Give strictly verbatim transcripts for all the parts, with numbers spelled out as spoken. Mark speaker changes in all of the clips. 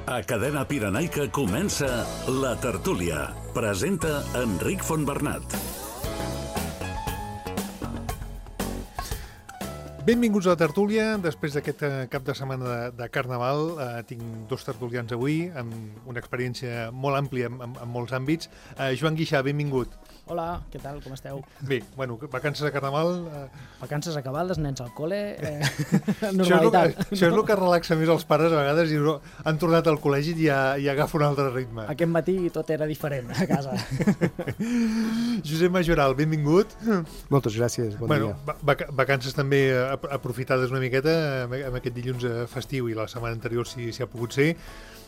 Speaker 1: A Cadena Pirenaica comença La Tertúlia. Presenta Enric Fontbernat.
Speaker 2: Benvinguts a La Tertúlia. Després d'aquest cap de setmana de, de Carnaval eh, tinc dos tertulians avui amb una experiència molt àmplia en, en, en molts àmbits. Eh, Joan Guixà, benvingut.
Speaker 3: Hola, què tal, com esteu?
Speaker 2: Bé, bueno, vacances de Carnaval... Eh...
Speaker 3: Vacances acabades, nens al col·le... Eh...
Speaker 2: Normalitat. Això és, això és el que relaxa més els pares a vegades i han tornat al col·legi i ja, ja agafa un altre ritme.
Speaker 3: Aquest matí tot era diferent a casa.
Speaker 2: Josep Majoral, benvingut.
Speaker 4: Moltes gràcies, bon
Speaker 2: bueno,
Speaker 4: dia.
Speaker 2: Vac vacances també aprofitades una miqueta amb aquest dilluns festiu i la setmana anterior si, si ha pogut ser.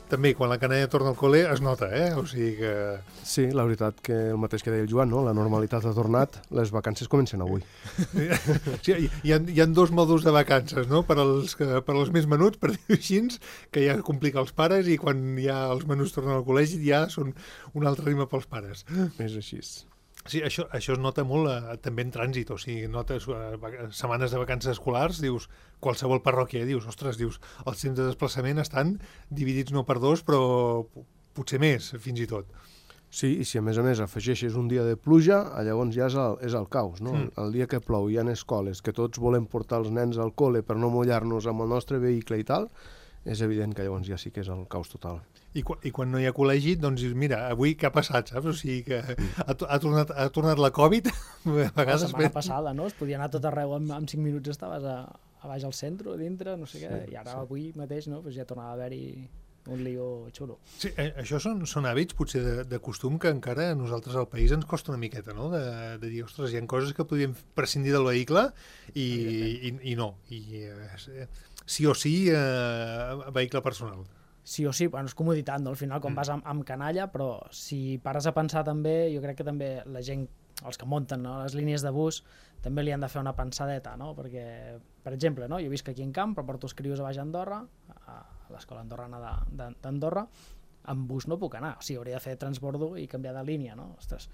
Speaker 2: També, quan la canalla torna al col·le, es nota, eh? O sigui que...
Speaker 4: Sí, la veritat que el mateix que deia el Joan, no? La normalitat ha tornat, les vacances comencen avui.
Speaker 2: Sí, hi, ha, hi ha dos mòduls de vacances, no? Per als, per als més menuts, per dir-ho així, que ja complica els pares, i quan ja els menuts tornen al col·legi ja són un altre ritme pels pares.
Speaker 4: És així.
Speaker 2: Sí, això, això es nota molt eh, també en trànsit, o sigui, notes eh, setmanes de vacances escolars, dius, qualsevol parròquia, dius, ostres, dius, els temps de desplaçament estan dividits no per dos, però potser més, fins i tot.
Speaker 4: Sí, i si a més a més afegeixes un dia de pluja, llavors ja és el, és el caos, no? Mm. El dia que plou hi ha escoles, que tots volem portar els nens al col·le per no mullar-nos amb el nostre vehicle i tal, és evident que llavors ja sí que és el caos total.
Speaker 2: I, qu I quan no hi ha col·legi, doncs mira, avui què ha passat, saps? O sigui que ha, ha, tornat, ha tornat la Covid. A vegades
Speaker 3: la setmana ben... passada, no? Es podia anar tot arreu, en, en cinc minuts estaves a, a baix al centre, dintre, no sé què, sí, i ara sí. Avui mateix no? Pues ja tornava a haver-hi un lío xulo.
Speaker 2: Sí, eh, això són, són hàbits, potser de, de costum, que encara a nosaltres al país ens costa una miqueta, no? De, de dir, ostres, hi ha coses que podríem prescindir del vehicle i, i, i no. I eh, sí o sí, eh, vehicle personal.
Speaker 3: Sí o sí, bueno, és comoditat, no? Al final quan mm. vas amb, amb canalla, però si pares a pensar també, jo crec que també la gent, els que munten, no? Les línies de bus, també li han de fer una pensadeta, no? Perquè, per exemple, no? Jo visc aquí en Camp, però porto els crios a baix a Andorra, a l'escola andorrana d'Andorra, amb bus no puc anar, o sigui, hauria de fer transbordo i canviar de línia, no? Ostres,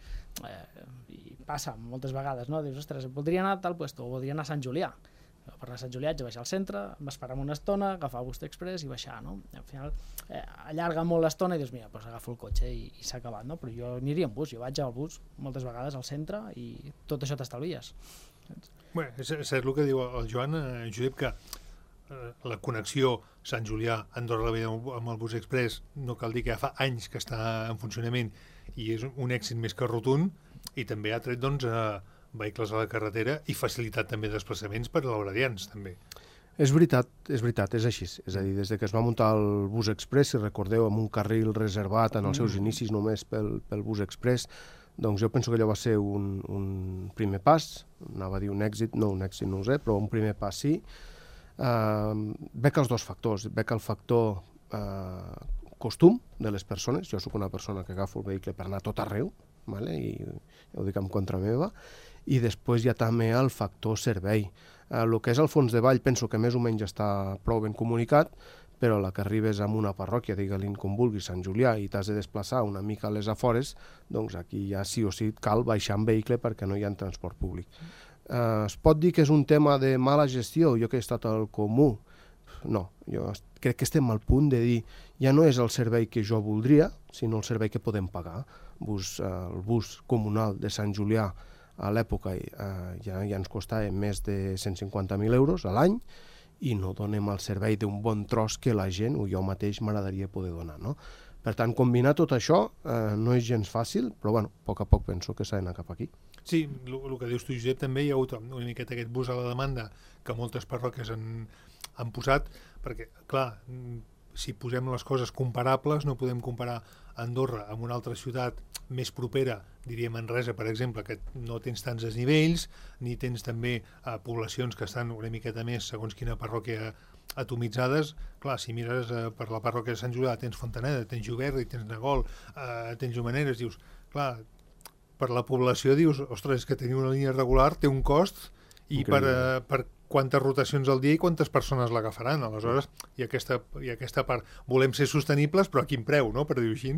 Speaker 3: eh, i passa moltes vegades, no? Dius, ostres, voldria anar a tal puesto, o voldria anar a Sant Julià. Per anar a Sant Julià haig de baixar al centre, m'esperar una estona, agafar el bus express i baixar, no? I al final eh, allarga molt l'estona i dius, mira, doncs agafo el cotxe i, i s'ha acabat, no? Però jo aniria en bus, jo vaig al bus moltes vegades al centre i tot això t'estalvies.
Speaker 2: Bé, és, és el que diu el Joan, eh, Josep, que eh, la connexió Sant Julià, Andorra la Vella amb el bus express, no cal dir que ja fa anys que està en funcionament i és un èxit més que rotund, i també ha tret, doncs, eh, vehicles a la carretera i facilitat també de desplaçaments per a l'horarians, també.
Speaker 4: És veritat, és veritat, és així. És a dir, des que es va muntar el bus express, si recordeu, amb un carril reservat en els seus inicis només pel, pel bus express, doncs jo penso que allò va ser un, un primer pas, anava a dir un èxit, no un èxit no ho sé, però un primer pas sí. Uh, veig els dos factors, veig el factor uh, costum de les persones, jo sóc una persona que agafo el vehicle per anar tot arreu, vale? I ja ho dic en contra meva, i després hi ha també el factor servei. El que és el fons de vall penso que més o menys està prou ben comunicat, però la que arribes a una parròquia, digue-li com vulguis, Sant Julià, i t'has de desplaçar una mica a les afores, doncs aquí ja sí o sí cal baixar en vehicle perquè no hi ha transport públic. Eh, es pot dir que és un tema de mala gestió, jo que he estat al comú? No, jo crec que estem al punt de dir ja no és el servei que jo voldria, sinó el servei que podem pagar. Bus, eh, el bus comunal de Sant Julià a l'època eh, ja, ja ens costava més de cent cinquanta mil euros a l'any i no donem el servei d'un bon tros que la gent o jo mateix m'agradaria poder donar, no? Per tant, combinar tot això eh, no és gens fàcil, però bueno, a poc a poc penso que s'ha d'anar cap aquí.
Speaker 2: Sí, el que dius tu, Josep, també hi ha hagut una miqueta aquest bus a la demanda que moltes parròquies han, han posat, perquè, clar, si posem les coses comparables, no podem comparar Andorra amb una altra ciutat més propera, diria Manresa, per exemple, que no tens tants desnivells, ni tens també eh, poblacions que estan una miqueta més, segons quina parròquia, atomitzades. Clar, si mires eh, per la parròquia de Sant Julià, tens Fontaneda, tens Juberri, tens Nagol, eh, tens Jomaneres, dius, clar, per la població dius, ostres, que tenir una línia regular té un cost i per, eh, per quantes rotacions al dia i quantes persones l'agafaran. Aleshores, i aquesta, i aquesta part, volem ser sostenibles, però a quin preu, no?, per dir-ho així.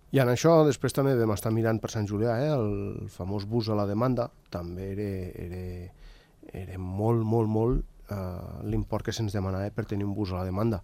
Speaker 4: I en això després també vam estar mirant per Sant Julià, eh? El famós bus a la demanda, també era, era, era molt, molt, molt eh, l'import que se'ns demanava per tenir un bus a la demanda.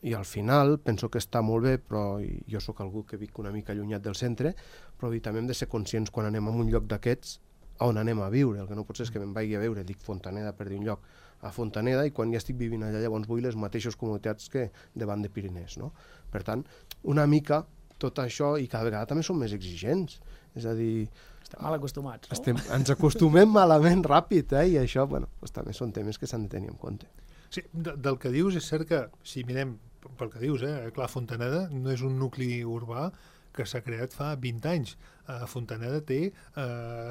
Speaker 4: i al final penso que està molt bé, però jo sóc algú que vic una mica allunyat del centre, però també hem de ser conscients quan anem a un lloc d'aquests on anem a viure. El que no pot ser és que me'n vagi a veure, dic Fontaneda per dir un lloc, a Fontaneda, i quan ja estic vivint allà llavors vull les mateixes comoditats que davant de Pirinès, no? Per tant, una mica tot això, i cada vegada també som més exigents, és a dir...
Speaker 3: Estem mal acostumats, no?
Speaker 4: Estem, ens acostumem malament ràpid, eh? I això, bueno, doncs també són temes que s'han de tenir en compte.
Speaker 2: Sí, de, del que dius és cert que, si mirem pel que dius, eh, clar, Fontaneda no és un nucli urbà que s'ha creat fa vint anys. Uh, Fontaneda té uh,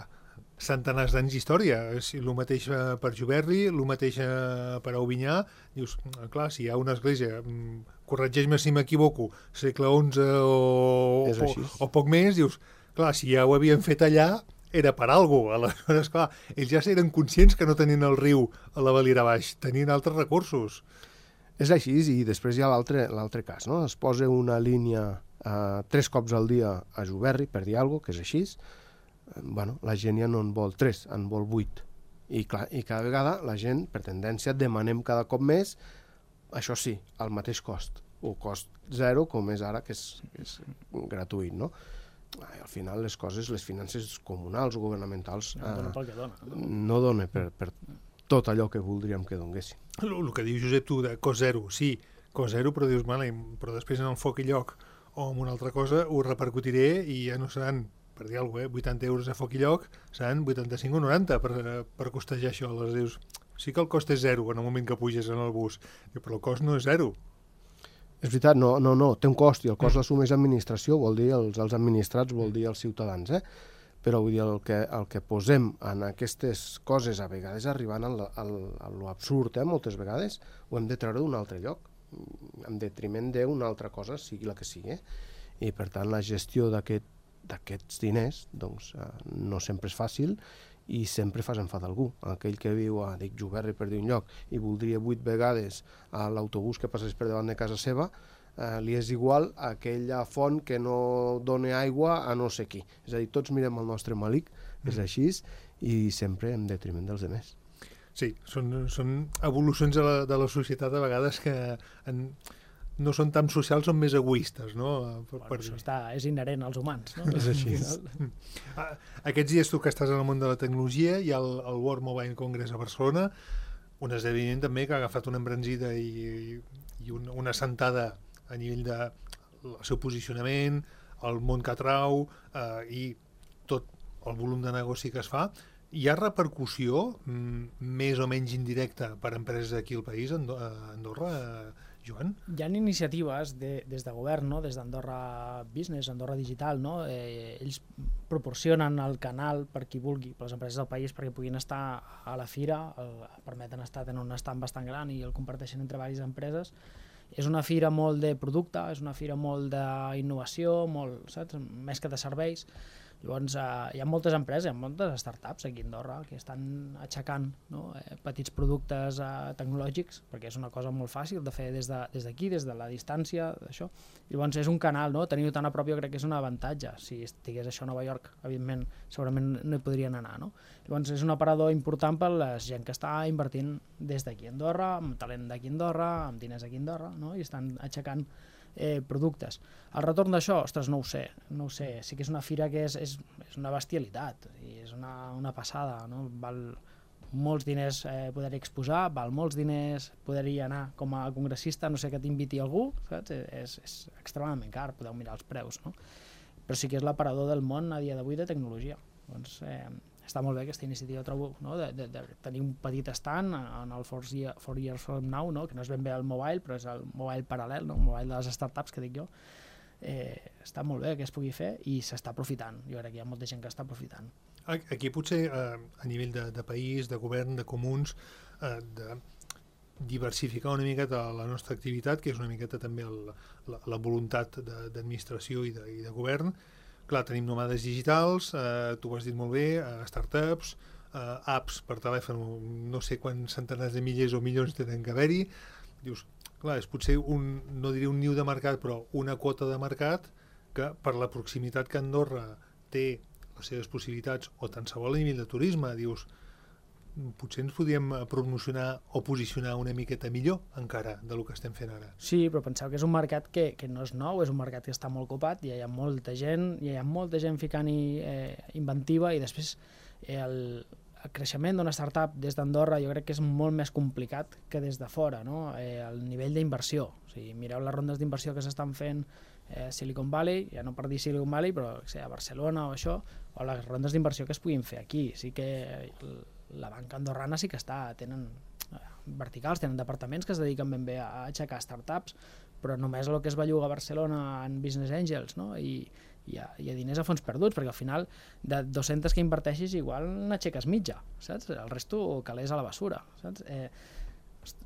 Speaker 2: centenars d'anys d'història. Si el mateix uh, per Juberli, el mateix uh, per Aubinyà. Dius, clar, si hi ha una església, um, corregeix-me si m'equivoco, segle onze o, o, o poc més, dius, clar, si ja ho havien fet allà, era per alguna cosa. Aleshores, clar, ells ja eren conscients que no tenien el riu a la Valira Baix, tenien altres recursos.
Speaker 4: És així, i després hi ha l'altre cas, no? Es posa una línia eh, tres cops al dia a Juberri, per dir alguna cosa, que és així. Eh, bueno, la gent ja no en vol tres, en vol vuit. I, clar, I cada vegada la gent, per tendència, demanem cada cop més, això sí, al mateix cost, o cost zero, com és ara, que és, que és gratuït, no? Al final les coses, les finances comunals o governamentals
Speaker 3: no dona pel que dona, no?
Speaker 4: no dona per, per tot allò que voldríem que donguessin.
Speaker 2: El, el que diu Josep tu de cost zero, sí, cost zero, però dius, vale, però després en el foc i lloc o en una altra cosa ho repercutiré i ja no seran, per dir alguna cosa, eh, vuitanta euros a foc i lloc, seran vuitanta-cinc o noranta per, per costejar això. Les dius, sí que el cost és zero en el moment que puges en el bus, però el cost no és zero.
Speaker 4: És veritat, no, no, no, té un cost i el cost l'assumeix l'administració, vol dir els, els administrats, vol dir els ciutadans, eh? Però vull dir, el que, el que posem en aquestes coses, a vegades arribant al, al, a l'absurd, eh? Moltes vegades, ho hem de treure d'un altre lloc, en detriment d'una altra cosa, sigui la que sigui, eh? I per tant la gestió d'aquest, d'aquests diners doncs, eh, no sempre és fàcil, i sempre fas enfadar algú. Aquell que viu a, dic, Juberri per dir un lloc, i voldria vuit vegades a l'autobús que passés per davant de casa seva, eh, li és igual a aquella font que no dona aigua a no sé qui. És a dir, tots mirem el nostre malic, és mm. així, i sempre en detriment dels demés.
Speaker 2: Sí, són, són evolucions de la, de la societat a vegades que en, no són tan socials, són més egoistes, no? Per,
Speaker 3: bueno, per... Això està, és inherent als humans, no?
Speaker 4: És així.
Speaker 2: Aquests dies tu que estàs en el món de la tecnologia, hi ha el, el World Mobile Congress a Barcelona, un esdeveniment també que ha agafat una embranzida i, i una, una sentada a nivell de el seu posicionament, el món que atrau eh, i tot el volum de negoci que es fa. Hi ha repercussió m, més o menys indirecta per a empreses aquí al país, a Andorra, eh, Joan?
Speaker 3: Hi ha iniciatives de, des de govern, no? Des d'Andorra Business, Andorra Digital, no? Eh, ells proporcionen el canal per qui vulgui, per les empreses del país, perquè puguin estar a la fira, el, permeten estar en un stand bastant gran i el comparteixen entre diverses empreses. És una fira molt de producte, és una fira molt d'innovació, molt, saps? Més que de serveis. Llavors, eh, hi ha moltes empreses, hi ha moltes startups aquí a Andorra que estan aixecant, no? eh, petits productes eh, tecnològics, perquè és una cosa molt fàcil de fer des d'aquí, de, des, des de la distància, d'això. Llavors, és un canal, no? Tenir-ho tan a prop jo crec que és un avantatge. Si estigués això a Nova York, evidentment, segurament no hi podrien anar, no? Llavors, és un aparador important per la gent que està invertint des d'aquí a Andorra, amb talent d'aquí a Andorra, amb diners aquí a Andorra, no? I estan aixecant Eh, productes. El retorn d'això, ostres, no ho sé, no ho sé. Sí que és una fira que és, és, és una bestialitat i és una, una passada, no? Val molts diners eh, poder-hi exposar, val molts diners poder-hi anar com a congressista, no sé que t'inviti algú, saps? És, és extremadament car, podeu mirar els preus, no? Però sí que és l'aparador del món a dia d'avui de tecnologia. Doncs eh, està molt bé aquesta iniciativa, trobo, no? de, de, de tenir un petit stand en el four Years From Now, no? Que no és ben bé el mobile, però és el mobile paral·lel, no? El mobile de les startups, que dic jo. Eh, està molt bé que es pugui fer i s'està aprofitant. Jo crec que hi ha molta gent que està aprofitant.
Speaker 2: Aquí potser eh, a nivell de, de país, de govern, de comuns, eh, de diversificar una miqueta la nostra activitat, que és una miqueta també el, la, la voluntat d'administració i, de, i de govern. Clar, tenim nomades digitals, eh, tu ho has dit molt bé, eh, startups, eh, apps per telèfon, no sé quants centenars de milers o milions tenen que haver-hi. Dius, clar, és potser un, no diré un niu de mercat, però una quota de mercat que per la proximitat que Andorra té les seves possibilitats, o tant se vol a nivell de turisme, dius, potser ens podíem promocionar o posicionar una miqueta millor encara del que estem fent ara.
Speaker 3: Sí, però penseu que és un mercat que, que no és nou, és un mercat que està molt copat, i hi ha molta gent, hi ha molta gent ficant-hi eh, inventiva, i després eh, el, el creixement d'una startup des d'Andorra jo crec que és molt més complicat que des de fora, no? Eh, el nivell d'inversió, o sigui, mireu les rondes d'inversió que s'estan fent eh, Silicon Valley, ja no per dir Silicon Valley, però que sé, a Barcelona o això, o les rondes d'inversió que es puguin fer aquí. Sí que la banca andorrana sí que està, tenen verticals, tenen departaments que es dediquen ben bé a aixecar startups, però només el que es belluga a Barcelona en Business Angels, no? I hi ha, hi ha diners a fons perduts, perquè al final de dues-centes que inverteixis igual n'aixeques mitja, saps? El resto calés a la basura, saps? Eh,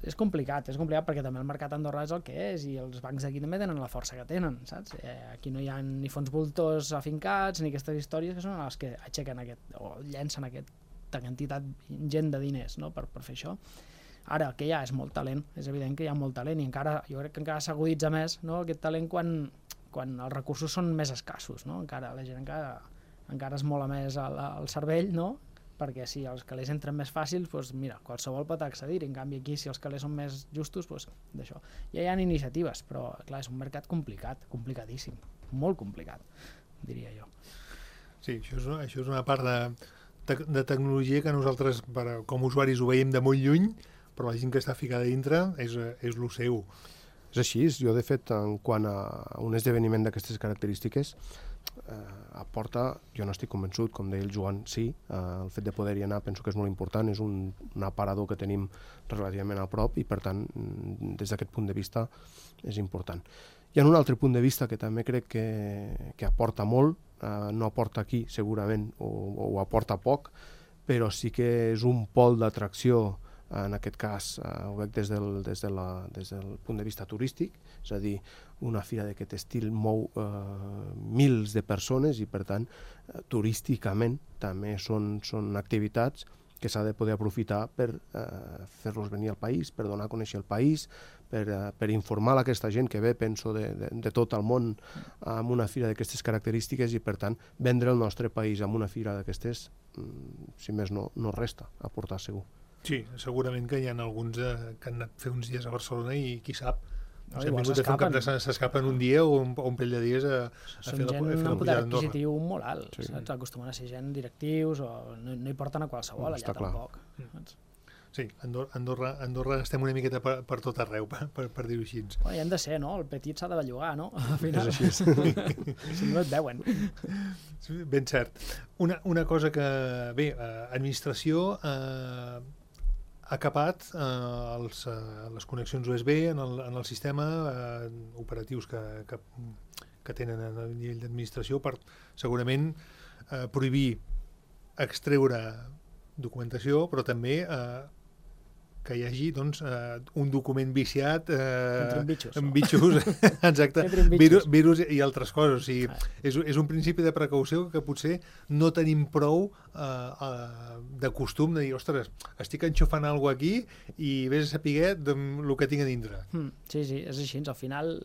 Speaker 3: és complicat, és complicat perquè també el mercat andorrà és el que és, i els bancs d'aquí també tenen la força que tenen, saps? Eh, aquí no hi ha ni fons voltors afincats ni aquestes històries que són les que aixequen aquest, o llencen aquesta quantitat ingent de diners, no? per, per fer això. Ara, el que hi ha és molt talent, és evident que hi ha molt talent, i encara, jo crec que encara s'aguditza més, no? Aquest talent quan, quan els recursos són més escassos, no? Encara la gent encara, encara es mola més el, el cervell, no? Perquè si els calés entren més fàcils, doncs mira, qualsevol pot accedir, en canvi aquí si els calés són més justos, doncs d'això. Ja hi ha iniciatives, però clar, és un mercat complicat, complicadíssim, molt complicat, diria jo.
Speaker 2: Sí, això és, això és una part de, de tecnologia que nosaltres per, com a usuaris ho veiem de molt lluny, però la gent que està ficada dintre és, és lo seu.
Speaker 4: És així, jo de fet, en quant a un esdeveniment d'aquestes característiques, eh, aporta, jo no estic convençut, com deia el Joan, sí, eh, el fet de poder-hi anar penso que és molt important, és un, un aparador que tenim relativament a prop i per tant, des d'aquest punt de vista és important. Hi ha un altre punt de vista que també crec que, que aporta molt, eh, no aporta aquí segurament, o, o aporta poc, però sí que és un pol d'atracció. En aquest cas eh, ho veig des del, des, de la, des del punt de vista turístic, és a dir, una fira d'aquest estil mou eh, mils de persones i per tant eh, turísticament també són, són activitats que s'ha de poder aprofitar per eh, fer-los venir al país, per donar a conèixer el país, per, eh, per informar a aquesta gent que ve, penso, de, de, de tot el món amb una fira d'aquestes característiques i per tant vendre el nostre país amb una fira d'aquestes, si més no, no resta, aportar segur.
Speaker 2: Sí, segurament que hi ha alguns eh, que han anat a fer uns dies a Barcelona i qui sap, no,
Speaker 3: no,
Speaker 2: si han vingut a fer un cap de s'escapen un dia o un, o un parell de dies a, a
Speaker 3: són
Speaker 2: fer la,
Speaker 3: gent
Speaker 2: a fer la
Speaker 3: amb poder
Speaker 2: pujada d'Andorra.
Speaker 3: adquisitiu molt alt,
Speaker 4: Sí.
Speaker 3: saps? Acostumen a ser gent directius o no, no hi porten a qualsevol,
Speaker 4: Està
Speaker 3: allà
Speaker 4: clar.
Speaker 3: tampoc. Saps?
Speaker 2: Sí, Andorra, Andorra, Andorra estem una miqueta per, per tot arreu, per, per, per dir-ho així.
Speaker 3: Bueno, hi han de ser, no? El petit s'ha de bellugar, no? Al final,
Speaker 4: És així.
Speaker 3: si no et veuen.
Speaker 2: Ben cert. Una, una cosa que, bé, eh, administració eh, ha capat eh, els, eh, les connexions U S B en el, en el sistema eh, operatius que, que, que tenen a nivell d'administració per segurament eh, prohibir extreure documentació, però també eh, que hi hagi doncs, eh, un document viciat eh,
Speaker 3: Entre bitxos,
Speaker 2: amb
Speaker 3: no?
Speaker 2: bitxos, exacte,
Speaker 3: Entre bitxos.
Speaker 2: virus, virus i altres coses. O sigui,
Speaker 3: Ah.
Speaker 2: és, és un principi de precaució que potser no tenim prou eh, eh, de costum de dir, ostres, estic enxufant alguna cosa aquí i vés a saber el que tinc a dintre.
Speaker 3: Mm, sí, sí, és així. Al final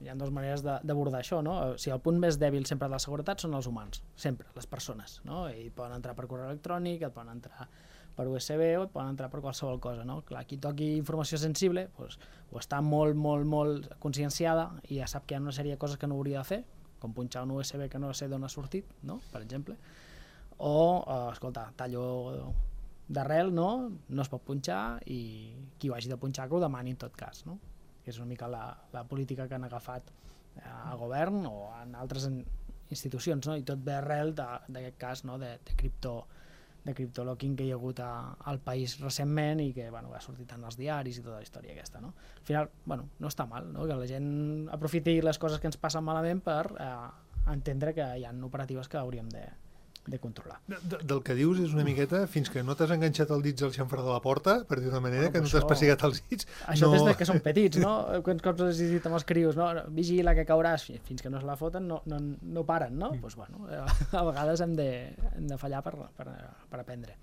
Speaker 3: hi ha dues maneres de- d'abordar això, no? O sigui, el punt més dèbil sempre de la seguretat són els humans, sempre, les persones, no? I poden entrar per correu electrònic, et poden entrar per U S B o et poden entrar per qualsevol cosa, no? Clar, qui toqui informació sensible doncs, o està molt, molt, molt conscienciada i ja sap que hi ha una sèrie de coses que no hauria de fer, com punxar un U S B que no sé d'on ha sortit, no? Per exemple. O, eh, escolta, tallo d'arrel, no? No es pot punxar i qui ho hagi de punxar que ho demani en tot cas, no? Que és una mica la, la política que han agafat eh, al govern o en altres en, institucions, no? I tot ve arrel d'aquest cas, no? de, de cripto de criptolocking que hi ha hagut a, al país recentment i que bueno, va sortir tant als diaris i tota la història aquesta. No? Al final, bueno, no està mal, no? Que la gent aprofiti les coses que ens passen malament per eh, entendre que hi ha operatives que hauríem de, de controlar.
Speaker 2: De, de, del que dius és una miqueta fins que no t'has enganxat els dits al xamfrà de la porta, per dir d'una manera,
Speaker 3: Bueno,
Speaker 2: que no
Speaker 3: això-
Speaker 2: t'has pessigat els dits.
Speaker 3: Això
Speaker 2: no...
Speaker 3: des de que són petits, no? Quants cops has dit amb els crios, no? Vigila que cauràs, fins que no se la foten no, no, no paren, no? Doncs pues, bueno, a vegades hem de, hem de fallar per, per, per aprendre.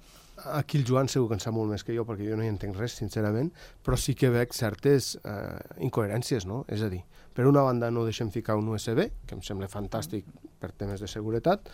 Speaker 4: Aquí el Joan segur que en sap molt més que jo, perquè jo no hi entenc res, sincerament, però sí que veig certes eh, incoherències, no? És a dir, per una banda no deixem ficar un U S B, que em sembla fantàstic per temes de seguretat,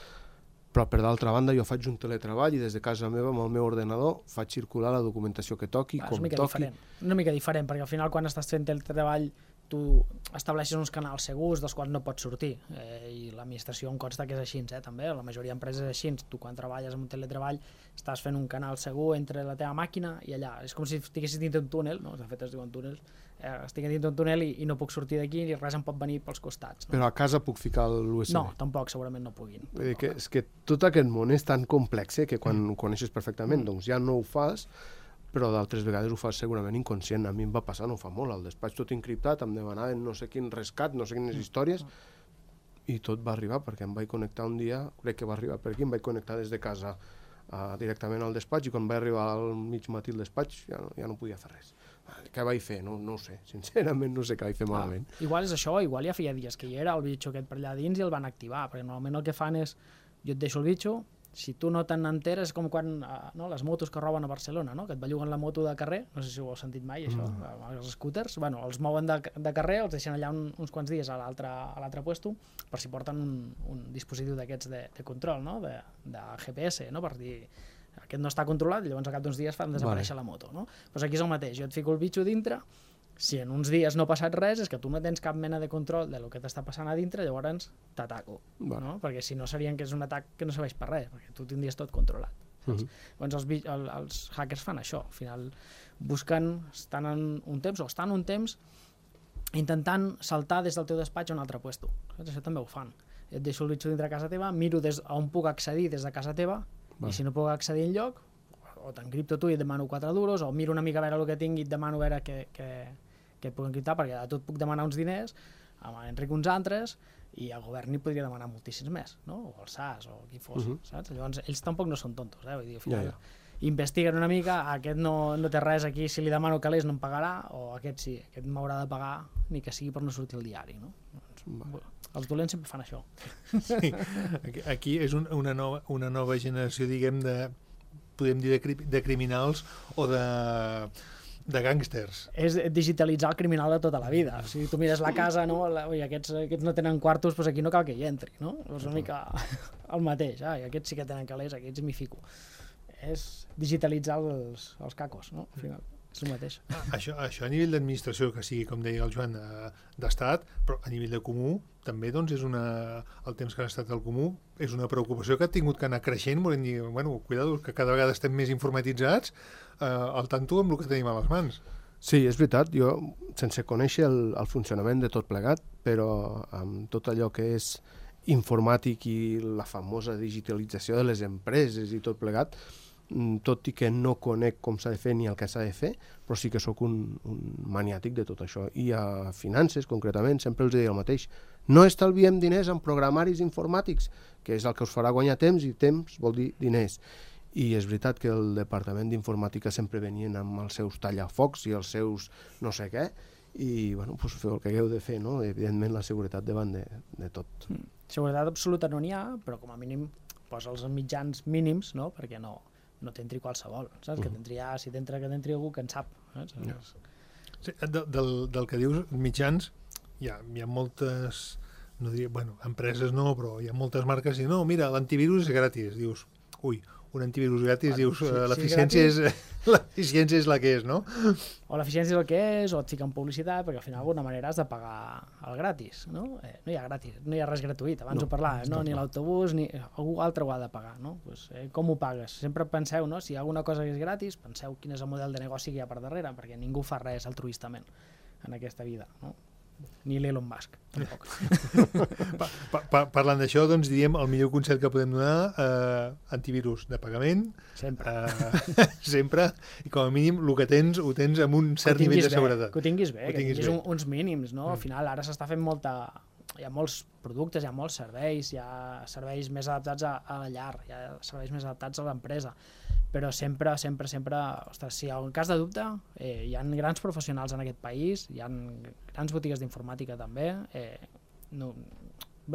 Speaker 4: però per d'altra banda jo faig un teletreball i des de casa meva amb el meu ordenador faig circular la documentació que toqui,
Speaker 3: ah,
Speaker 4: com
Speaker 3: una
Speaker 4: toqui.
Speaker 3: Diferent. Una mica diferent, perquè al final quan estàs fent teletreball tu estableixes uns canals segurs dels quals no pots sortir, eh, i l'administració em consta que és així, eh, també, la majoria d'empreses és així. Tu quan treballes en un teletreball estàs fent un canal segur entre la teva màquina i allà, és com si estiguessis dins d'un túnel, no? De fet es diuen túnels, eh, estic dins d'un túnel i, i no puc sortir d'aquí i res em pot venir pels costats, no?
Speaker 4: Però a casa puc ficar l'U S B?
Speaker 3: No, tampoc, segurament no puguin.
Speaker 4: Vull dir que, és que tot aquest món és tan complex eh, que quan ho coneixes perfectament doncs ja no ho fas, però d'altres vegades ho fas segurament inconscient. A mi em va passar, no fa molt, al despatx tot encriptat, em demanaven no sé quin rescat, no sé quines històries, i tot va arribar, perquè em vaig connectar un dia, crec que va arribar per aquí, em vaig connectar des de casa uh, directament al despatx, i quan vaig arribar al mig matí al despatx ja no, ja no podia fer res. Què vaig fer? No, no ho sé, sincerament no sé què vaig fer malament.
Speaker 3: Ah, igual és això, igual ja feia dies que hi era el bitxo aquest per allà dins i el van activar, perquè normalment el que fan és, jo et deixo el bitxo, si tu no te'n enteres, és com quan no, les motos que roben a Barcelona, no? Que et belluguen la moto de carrer, no sé si ho heu sentit mai, això, mm. els scooters, bueno, els mouen de, de carrer, els deixen allà un, uns quants dies a l'altre puesto, per si porten un, un dispositiu d'aquests de, de control, no? de, de G P S, no? Per dir, aquest no està controlat, i llavors al cap d'uns dies fan desaparèixer vale. La moto. No? Pues aquí és el mateix, jo et fico el bitxo dintre, si en uns dies no ha passat res, és que tu no tens cap mena de control de lo que t'està passant a dintre, llavors t'ataco, vale. No? Perquè si no serien que és un atac que no serveix per res, perquè tu tindries tot controlat. Uh -huh. Llavors els, el, els hackers fan això, al final busquen, estan en un temps, o estan un temps intentant saltar des del teu despatx a un altre puesto. Saps? Això també ho fan. Et deixo el bitxo dintre de casa teva, miro des on puc accedir des de casa teva, vale. I si no puc accedir enlloc, o t'encripto tu i et demano quatre duros, o miro una mica a veure el que tinc i et demano a veure què, què, què et puc encriptar, perquè a tu et puc demanar uns diners, a l'Enric uns altres, i al govern hi podria demanar moltíssims més, no? O al S A S, o qui fos, uh -huh. saps? Llavors, ells tampoc no són tontos, eh? Vull dir, al final, ja, ja. investiguen una mica, aquest no, no té res aquí, si li demano calés no em pagarà, o aquest sí, aquest m'haurà de pagar, ni que sigui per no sortir al diari, no? Doncs, els dolents sempre fan això.
Speaker 2: Sí, aquí, aquí és un, una, nova, una nova generació, diguem, de, podem dir, de, cri, de criminals o de... de gàngsters.
Speaker 3: És digitalitzar el criminal de tota la vida. Si tu mires la casa, no? La, oi, aquests, aquests no tenen quartos, doncs aquí no cal que hi entri, no? És una mica el mateix. Ah, i aquests sí que tenen calés, aquests m'hi fico. És digitalitzar els, els cacos, no? Al final, és el mateix.
Speaker 2: Ah, això, això a nivell d'administració, que sigui, com deia el Joan, d'estat, però a nivell de comú, també doncs, és una, el temps que ha estat al comú, és una preocupació que ha tingut que anar creixent, volem dir, bueno, cuidado, que cada vegada estem més informatitzats, eh, al tanto amb el que tenim a les mans.
Speaker 4: Sí, és veritat, jo, sense conèixer el, el funcionament de tot plegat, però amb tot allò que és informàtic i la famosa digitalització de les empreses i tot plegat, tot i que no conec com s'ha de fer ni el que s'ha de fer, però sí que sóc un, un maniàtic de tot això. I a finances, concretament, sempre els deia el mateix. No estalviem diners en programaris informàtics, que és el que us farà guanyar temps, i temps vol dir diners. I és veritat que el departament d'informàtica sempre venien amb els seus tallafocs i els seus no sé què, i bueno, doncs feu el que hagueu de fer, no? Evidentment la seguretat davant de, de tot.
Speaker 3: Mm. Seguretat absoluta no n'hi ha, però com a mínim posa els mitjans mínims, no? Perquè no no t'entri qualsevol, saps? Uh -huh. Que t'entri, ah, si t'entra que t'entri algú que en sap, saps?
Speaker 2: Ja. Sí, de, del, del que dius, mitjans, hi ha, hi ha moltes, no diria, bueno, empreses no, però hi ha moltes marques i no, mira, l'antivirus és gratis, dius, ui, un antivirus gratis, bueno, dius, si, l'eficiència si és, és, l'eficiència és la que és, no?
Speaker 3: O l'eficiència és el que és, o et fiquen publicitat, perquè al final d'alguna manera has de pagar el gratis, no? Eh, no hi ha gratis, no hi ha res gratuït, abans no, ho parlava, no? Ni l'autobús, ni algú altre ho ha de pagar, no? Pues, eh, com ho pagues? Sempre penseu, no? Si hi ha alguna cosa que és gratis, penseu quin és el model de negoci que hi ha per darrere, perquè ningú fa res altruistament en aquesta vida, no? Ni l'Elon Musk, tampoc.
Speaker 2: pa, pa, pa, parlant d'això, doncs diríem el millor consell que podem donar, eh, antivirus de pagament,
Speaker 3: sempre,
Speaker 2: eh, sempre, i com a mínim el que tens ho tens amb un cert nivell de seguretat.
Speaker 3: Que ho tinguis bé, que,
Speaker 2: que tinguis,
Speaker 3: tinguis
Speaker 2: bé.
Speaker 3: Un, uns mínims, no? Mm. Al final ara s'està fent molta... Hi ha molts productes, hi ha molts serveis, hi ha serveis més adaptats a, a la llar, hi ha serveis més adaptats a l'empresa, però sempre, sempre, sempre, ostres, si hi ha un cas de dubte, eh, hi ha grans professionals en aquest país, hi ha grans botigues d'informàtica també, eh, no,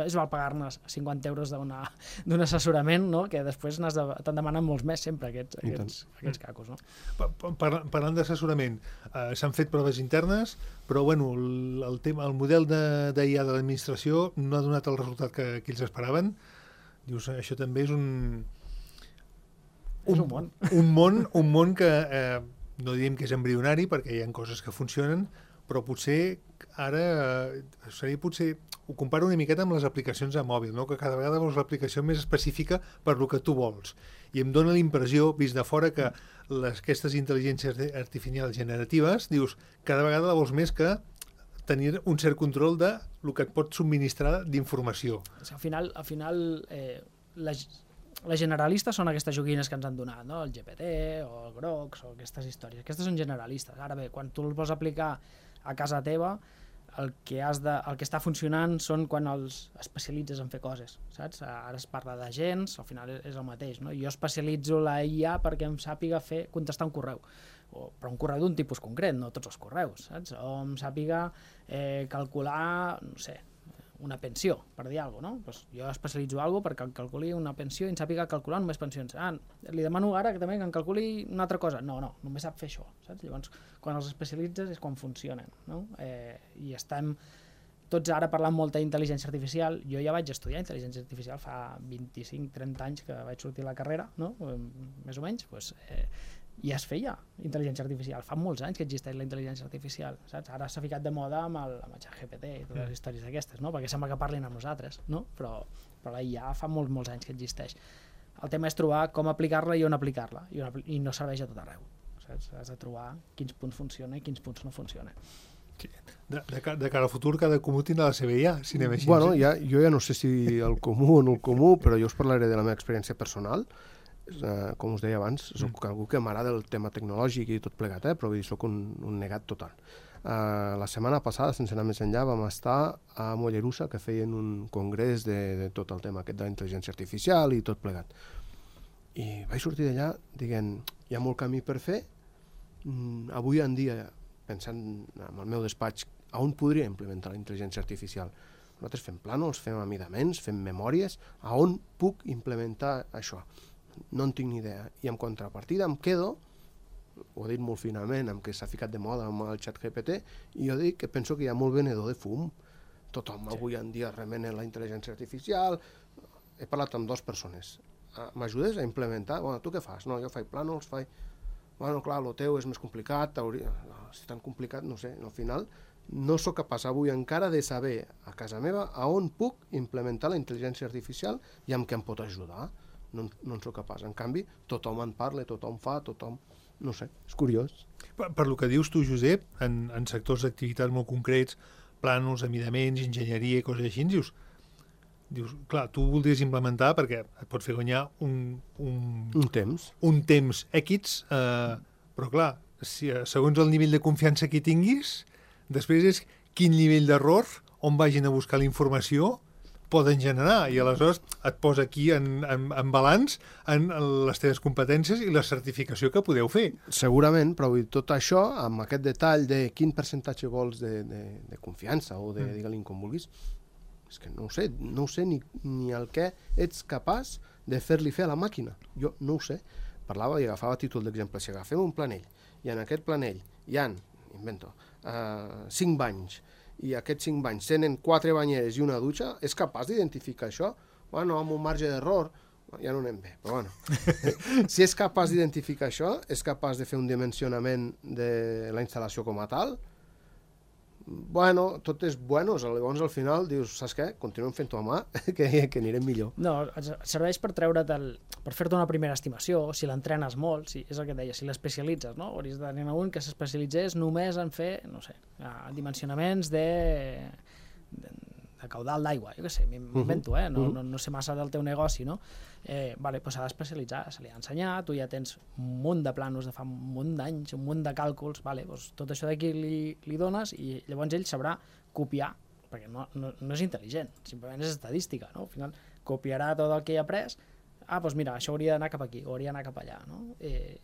Speaker 3: és val pagar-ne cinquanta euros d'un assessorament, no? Que després de, te'n demanen molts més sempre aquests, aquests, aquests cacos, no?
Speaker 2: Par parlant d'assessorament, eh, s'han fet proves internes, però bueno, el, el, tema, el model d'I A de, de l'administració no ha donat el resultat que, que ells esperaven. Dius, això també és un...
Speaker 3: És un món.
Speaker 2: Un món, un món que eh, no diríem que és embrionari, perquè hi ha coses que funcionen, però potser ara eh, seria potser... Ho comparo una miqueta amb les aplicacions a mòbil, no? Que cada vegada vols l'aplicació més específica per lo que tu vols. I em dóna la impressió, vist de fora, que les, aquestes intel·ligències artificials generatives, dius, cada vegada la vols més que tenir un cert control de lo que et pot subministrar d'informació.
Speaker 3: Al final, al final eh, les, les generalistes són aquestes joguines que ens han donat, no? El G P T o el Grox o aquestes històries. Aquestes són generalistes. Ara bé, quan tu els vols aplicar a casa teva, el que, has de, el que està funcionant són quan els especialitzes en fer coses, saps? Ara es parla d'agents, al final és el mateix, no? Jo especialitzo la I A perquè em sàpiga fer, contestar un correu, o, però un correu d'un tipus concret, no tots els correus, saps? O em sàpiga eh, calcular, no sé, una pensió, per dir alguna cosa, no? Pues jo especialitzo alguna cosa perquè calculi una pensió i em sàpiga calcular només pensions. Ah, li demano ara que també que em calculi una altra cosa. No, no, només sap fer això, saps? Llavors, quan els especialitzes és quan funcionen, no? Eh, I estem tots ara parlant molt d'intel·ligència artificial. Jo ja vaig estudiar intel·ligència artificial fa vint-i-cinc trenta anys que vaig sortir a la carrera, no? Més o menys, pues, eh, i es feia intel·ligència artificial. Fa molts anys que existeix la intel·ligència artificial, saps? Ara s'ha ficat de moda amb el, amb el ChatGPT i totes les històries d'aquestes, no? Perquè sembla que parlin amb nosaltres, no? Però, però la I A fa molts, molts anys que existeix. El tema és trobar com aplicar-la i on aplicar-la, i, on, i no serveix a tot arreu, saps? Has de trobar quins punts funcionen i quins punts no funcionen.
Speaker 2: Sí. De, de, de cara al futur, cada comú tindrà la seva I A, si anem així.
Speaker 4: Bueno, ja, jo ja no sé si el comú o no el comú, però jo us parlaré de la meva experiència personal. Uh, com us deia abans, soc mm. algú que m'agrada el tema tecnològic i tot plegat, eh? Però vull dir, soc un, un negat total. Uh, la setmana passada, sense anar més enllà, vam estar a Mollerussa, que feien un congrés de, de tot el tema aquest de la intel·ligència artificial i tot plegat. I vaig sortir d'allà dient, hi ha molt camí per fer. Mm, avui en dia, pensant en el meu despatx, a on podria implementar la intel·ligència artificial? Nosaltres fem plànols, fem amidaments, fem memòries, a on puc implementar això? No en tinc ni idea. I en contrapartida em quedo, ho he dit molt finament, amb que s'ha ficat de moda amb el ChatGPT, i jo dic que penso que hi ha molt venedor de fum. Tothom sí. Avui en dia remena la intel·ligència artificial. He parlat amb dues persones. M'ajudes a implementar? Bueno, tu què fas? No, jo faig plànols, faig... Bueno, clar, el teu és més complicat, hauria... si és tan complicat, no sé, al final no sóc capaç avui encara de saber a casa meva a on puc implementar la intel·ligència artificial i amb què em pot ajudar. No, no en soc capaç. En canvi, tothom en parla, tothom fa, tothom... No sé, és curiós.
Speaker 2: Per, per lo que dius tu, Josep, en, en sectors d'activitat molt concrets, plànols, amidaments, enginyeria i coses així, dius, dius, clar, tu ho voldries implementar perquè et pot fer guanyar un... Un,
Speaker 4: un temps.
Speaker 2: Un temps X, eh, però clar, si, segons el nivell de confiança que tinguis, després és quin nivell d'error, on vagin a buscar la informació, poden generar, i aleshores et posa aquí en, en, en balanç en les teves competències i la certificació que podeu fer.
Speaker 4: Segurament, però tot això, amb aquest detall de quin percentatge vols de, de, de confiança o de, mm. digue-li com vulguis, és que no ho sé, no ho sé ni, ni el que ets capaç de fer-li fer a la màquina. Jo no ho sé. Parlava i agafava a títol d'exemple. Si agafem un planell i en aquest planell hi ha, invento, uh, cinc banys, i aquests cinc banys tenen quatre banyeres i una dutxa, és capaç d'identificar això? Bueno, amb un marge d'error, ja no anem bé, però bueno. Si és capaç d'identificar això, és capaç de fer un dimensionament de la instal·lació com a tal? Bueno, tot és bueno, llavors al final dius, saps què? Continuem fent-ho a mà, que, que anirem millor.
Speaker 3: No, serveix per treure't el, per fer-te una primera estimació, si l'entrenes molt, si, és el que et deia, si l'especialitzes, no? Hauries de tenir un que s'especialitzés només en fer, no sé, dimensionaments de, de, de caudal d'aigua, jo què sé, m'invento, eh? No, no, no sé massa del teu negoci, no? Eh, vale, doncs s'ha d'especialitzar, se li ha ensenyat, tu ja tens un munt de planos de fa un munt d'anys, un munt de càlculs, vale, doncs tot això d'aquí li, li dones i llavors ell sabrà copiar, perquè no, no, no és intel·ligent, simplement és estadística, no? Al final copiarà tot el que hi ha après, ah, doncs mira, això hauria d'anar cap aquí, o hauria d'anar cap allà, no? Eh,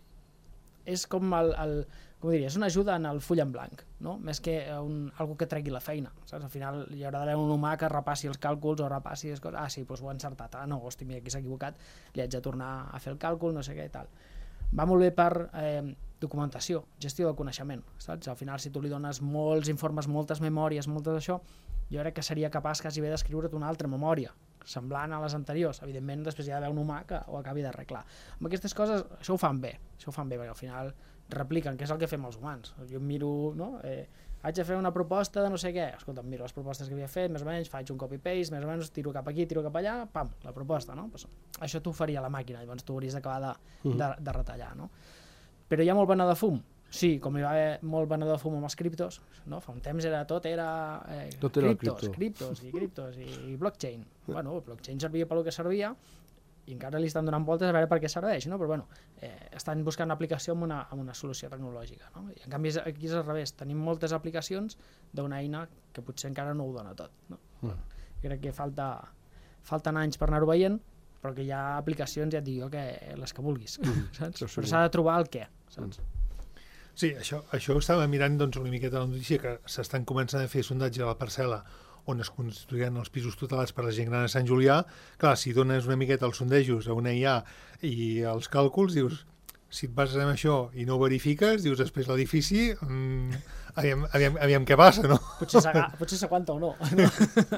Speaker 3: és com el, el com diria, és una ajuda en el full en blanc, no? Més que un, algú que tregui la feina, saps? Al final hi haurà d'haver un humà que repassi els càlculs o repassi les coses, ah sí, doncs ho he encertat, ah no, hosti, mira, aquí s'ha equivocat, li haig de tornar a fer el càlcul, no sé què i tal. Va molt bé per eh, documentació, gestió del coneixement, saps? Al final si tu li dones molts informes, moltes memòries, moltes d'això, jo crec que seria capaç quasi bé d'escriure't una altra memòria semblant a les anteriors. Evidentment, després hi ha d'haver un humà que ho acabi d'arreglar. Amb aquestes coses, això ho fan bé, això ho fan bé, perquè al final repliquen, que és el que fem els humans. Jo em miro, no? Eh, haig de fer una proposta de no sé què, escolta, em miro les propostes que havia fet, més o menys, faig un copy-paste, més o menys, tiro cap aquí, tiro cap allà, pam, la proposta, no? Pues, això t'ho faria la màquina, llavors tu hauries d'acabar de, de, de retallar, no? Però hi ha molt venedor de fum? Sí, com hi va haver molt venedor de fum amb els criptos, no? Fa un temps era, tot era, eh,
Speaker 4: tot era
Speaker 3: criptos, criptos i criptos i, i blockchain. Bueno, el blockchain servia pel que servia, i encara li estan donant voltes a veure per què serveix, no? Però bueno, eh, estan buscant una aplicació amb una, amb una solució tecnològica, no? I en canvi aquí és al revés, tenim moltes aplicacions d'una eina que potser encara no ho dona tot, no? Mm. Crec que falta, falten anys per anar-ho veient, però que hi ha aplicacions, ja et dic jo, que les que vulguis, mm. saps? Però s'ha de trobar el què, saps?
Speaker 2: Mm. Sí, això, això estava mirant doncs, una miqueta la notícia, que s'estan començant a fer sondatge a la parcel·la on es construiran els pisos tutelats per la gent gran a Sant Julià. Clar, si dones una miqueta els sondejos a una I A i els càlculs, dius, si et bases en això i no ho verifiques, dius, després l'edifici, mmm, aviam, aviam, aviam què passa, no?
Speaker 3: Potser s'aguanta o no.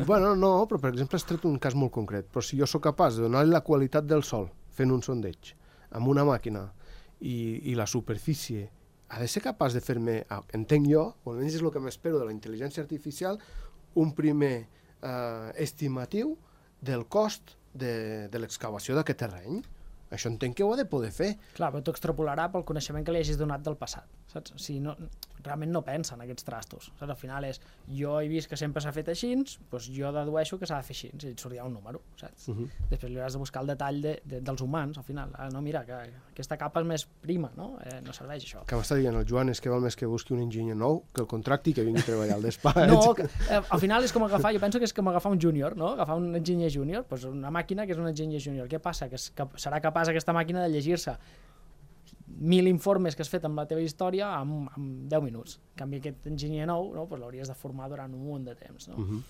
Speaker 4: Bueno, no, però per exemple has tret un cas molt concret, però si jo sóc capaç de donar-li la qualitat del sol fent un sondeig amb una màquina i, i la superfície, ha de ser capaç de fer-me, entenc jo, o almenys és el que m'espero de la intel·ligència artificial, un primer eh, estimatiu del cost de, de l'excavació d'aquest terreny. Això entenc que ho ha de poder fer.
Speaker 3: Clar, però t'ho extrapolarà pel coneixement que li hagis donat del passat, saps? O sigui, no, realment no pensa en aquests trastos, saps? Al final és, jo he vist que sempre s'ha fet així, doncs jo dedueixo que s'ha de fer així, i et sortirà un número, saps? Uh -huh. Després li hauràs de buscar el detall de, de, dels humans, al final. Ah, no, mira, que aquesta capa és més prima, no? Eh, no serveix això.
Speaker 4: Que m'està dient el Joan és que val més que busqui un enginyer nou, que el contracti i que vingui a treballar al despatx.
Speaker 3: No, que, eh, al final és com agafar, jo penso que és com agafar un júnior, no? Agafar un enginyer júnior, doncs una màquina que és un enginyer júnior. Què passa? Que, és, que serà capaç aquesta màquina de llegir-se mil informes que has fet amb la teva història en, en deu minuts. En canvi, aquest enginyer nou, no, doncs l'hauries de formar durant un munt de temps, no? Uh-huh.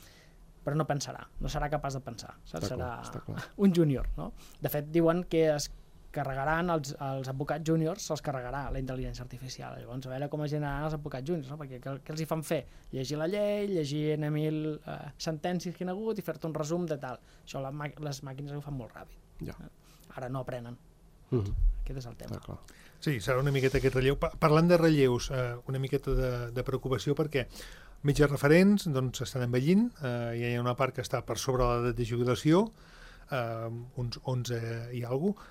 Speaker 3: Però no pensarà, no serà capaç de pensar, saps?
Speaker 4: Està
Speaker 3: Serà
Speaker 4: clar, clar.
Speaker 3: un júnior, no? De fet, diuen que es carregaran els, els advocats júniors, se'ls carregarà la intel·ligència artificial. Llavors, a veure com es generaran els advocats júniors, no? Perquè què, què els hi fan fer? Llegir la llei, llegir mil eh, sentències que hi ha hagut i fer-te un resum de tal. Això la, les màquines ho fan molt ràpid.
Speaker 4: Ja.
Speaker 3: Ara no aprenen.
Speaker 4: Uh-huh.
Speaker 3: Aquest és el tema.
Speaker 2: Sí, serà una miqueta aquest relleu. Parlant de relleus, eh, una miqueta de, de preocupació perquè metges referents doncs, estan envellint, eh, hi ha una part que està per sobre l'edat de jubilació, eh, uns onze i alguna cosa.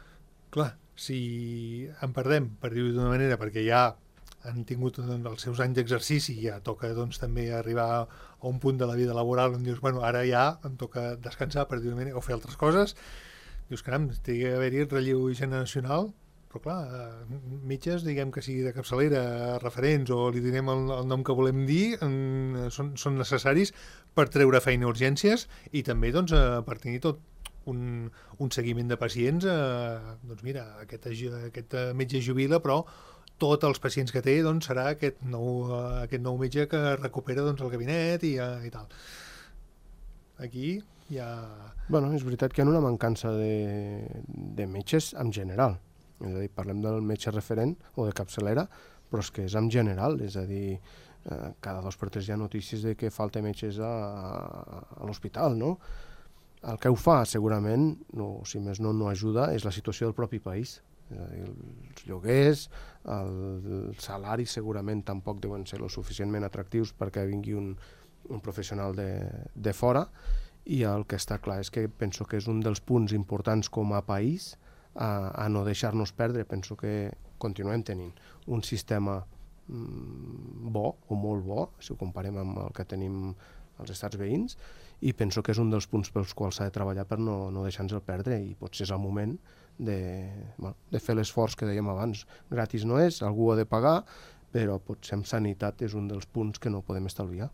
Speaker 2: Clar, si en perdem, per dir-ho d'una manera, perquè ja han tingut doncs, els seus anys d'exercici i ja toca doncs, també arribar a un punt de la vida laboral on dius, bueno, ara ja em toca descansar, per dir-ho d'una manera, o fer altres coses, dius, caram, té d'haver-hi relleu generacional, però clar, metges, diguem que sigui de capçalera, referents, o li direm el, el nom que volem dir, en, són, són necessaris per treure feina a urgències i també doncs, per tenir tot un, un seguiment de pacients. Eh, doncs mira, aquest, aquest metge jubila, però tots els pacients que té doncs, serà aquest nou, aquest nou metge que recupera doncs, el gabinet i, i tal. Aquí hi ha...
Speaker 4: Bueno, és veritat que hi ha una mancança de, de metges en general. És a dir, parlem del metge referent o de capçalera, però és que és en general, és a dir, eh, cada dos per tres hi ha notícies de que falta metges a, a, a l'hospital, no? El que ho fa, segurament, no, si més no, no ajuda, és la situació del propi país. És a dir, els lloguers, el, el salari segurament tampoc deuen ser lo suficientment atractius perquè vingui un, un professional de, de fora, i el que està clar és que penso que és un dels punts importants com a país a, a no deixar-nos perdre. Penso que continuem tenint un sistema mm, bo o molt bo, si ho comparem amb el que tenim als estats veïns, i penso que és un dels punts pels quals s'ha de treballar per no, no deixar-nos el perdre, i potser és el moment de, bueno, de fer l'esforç que dèiem abans. Gratis no és, algú ha de pagar, però potser en sanitat és un dels punts que no podem estalviar.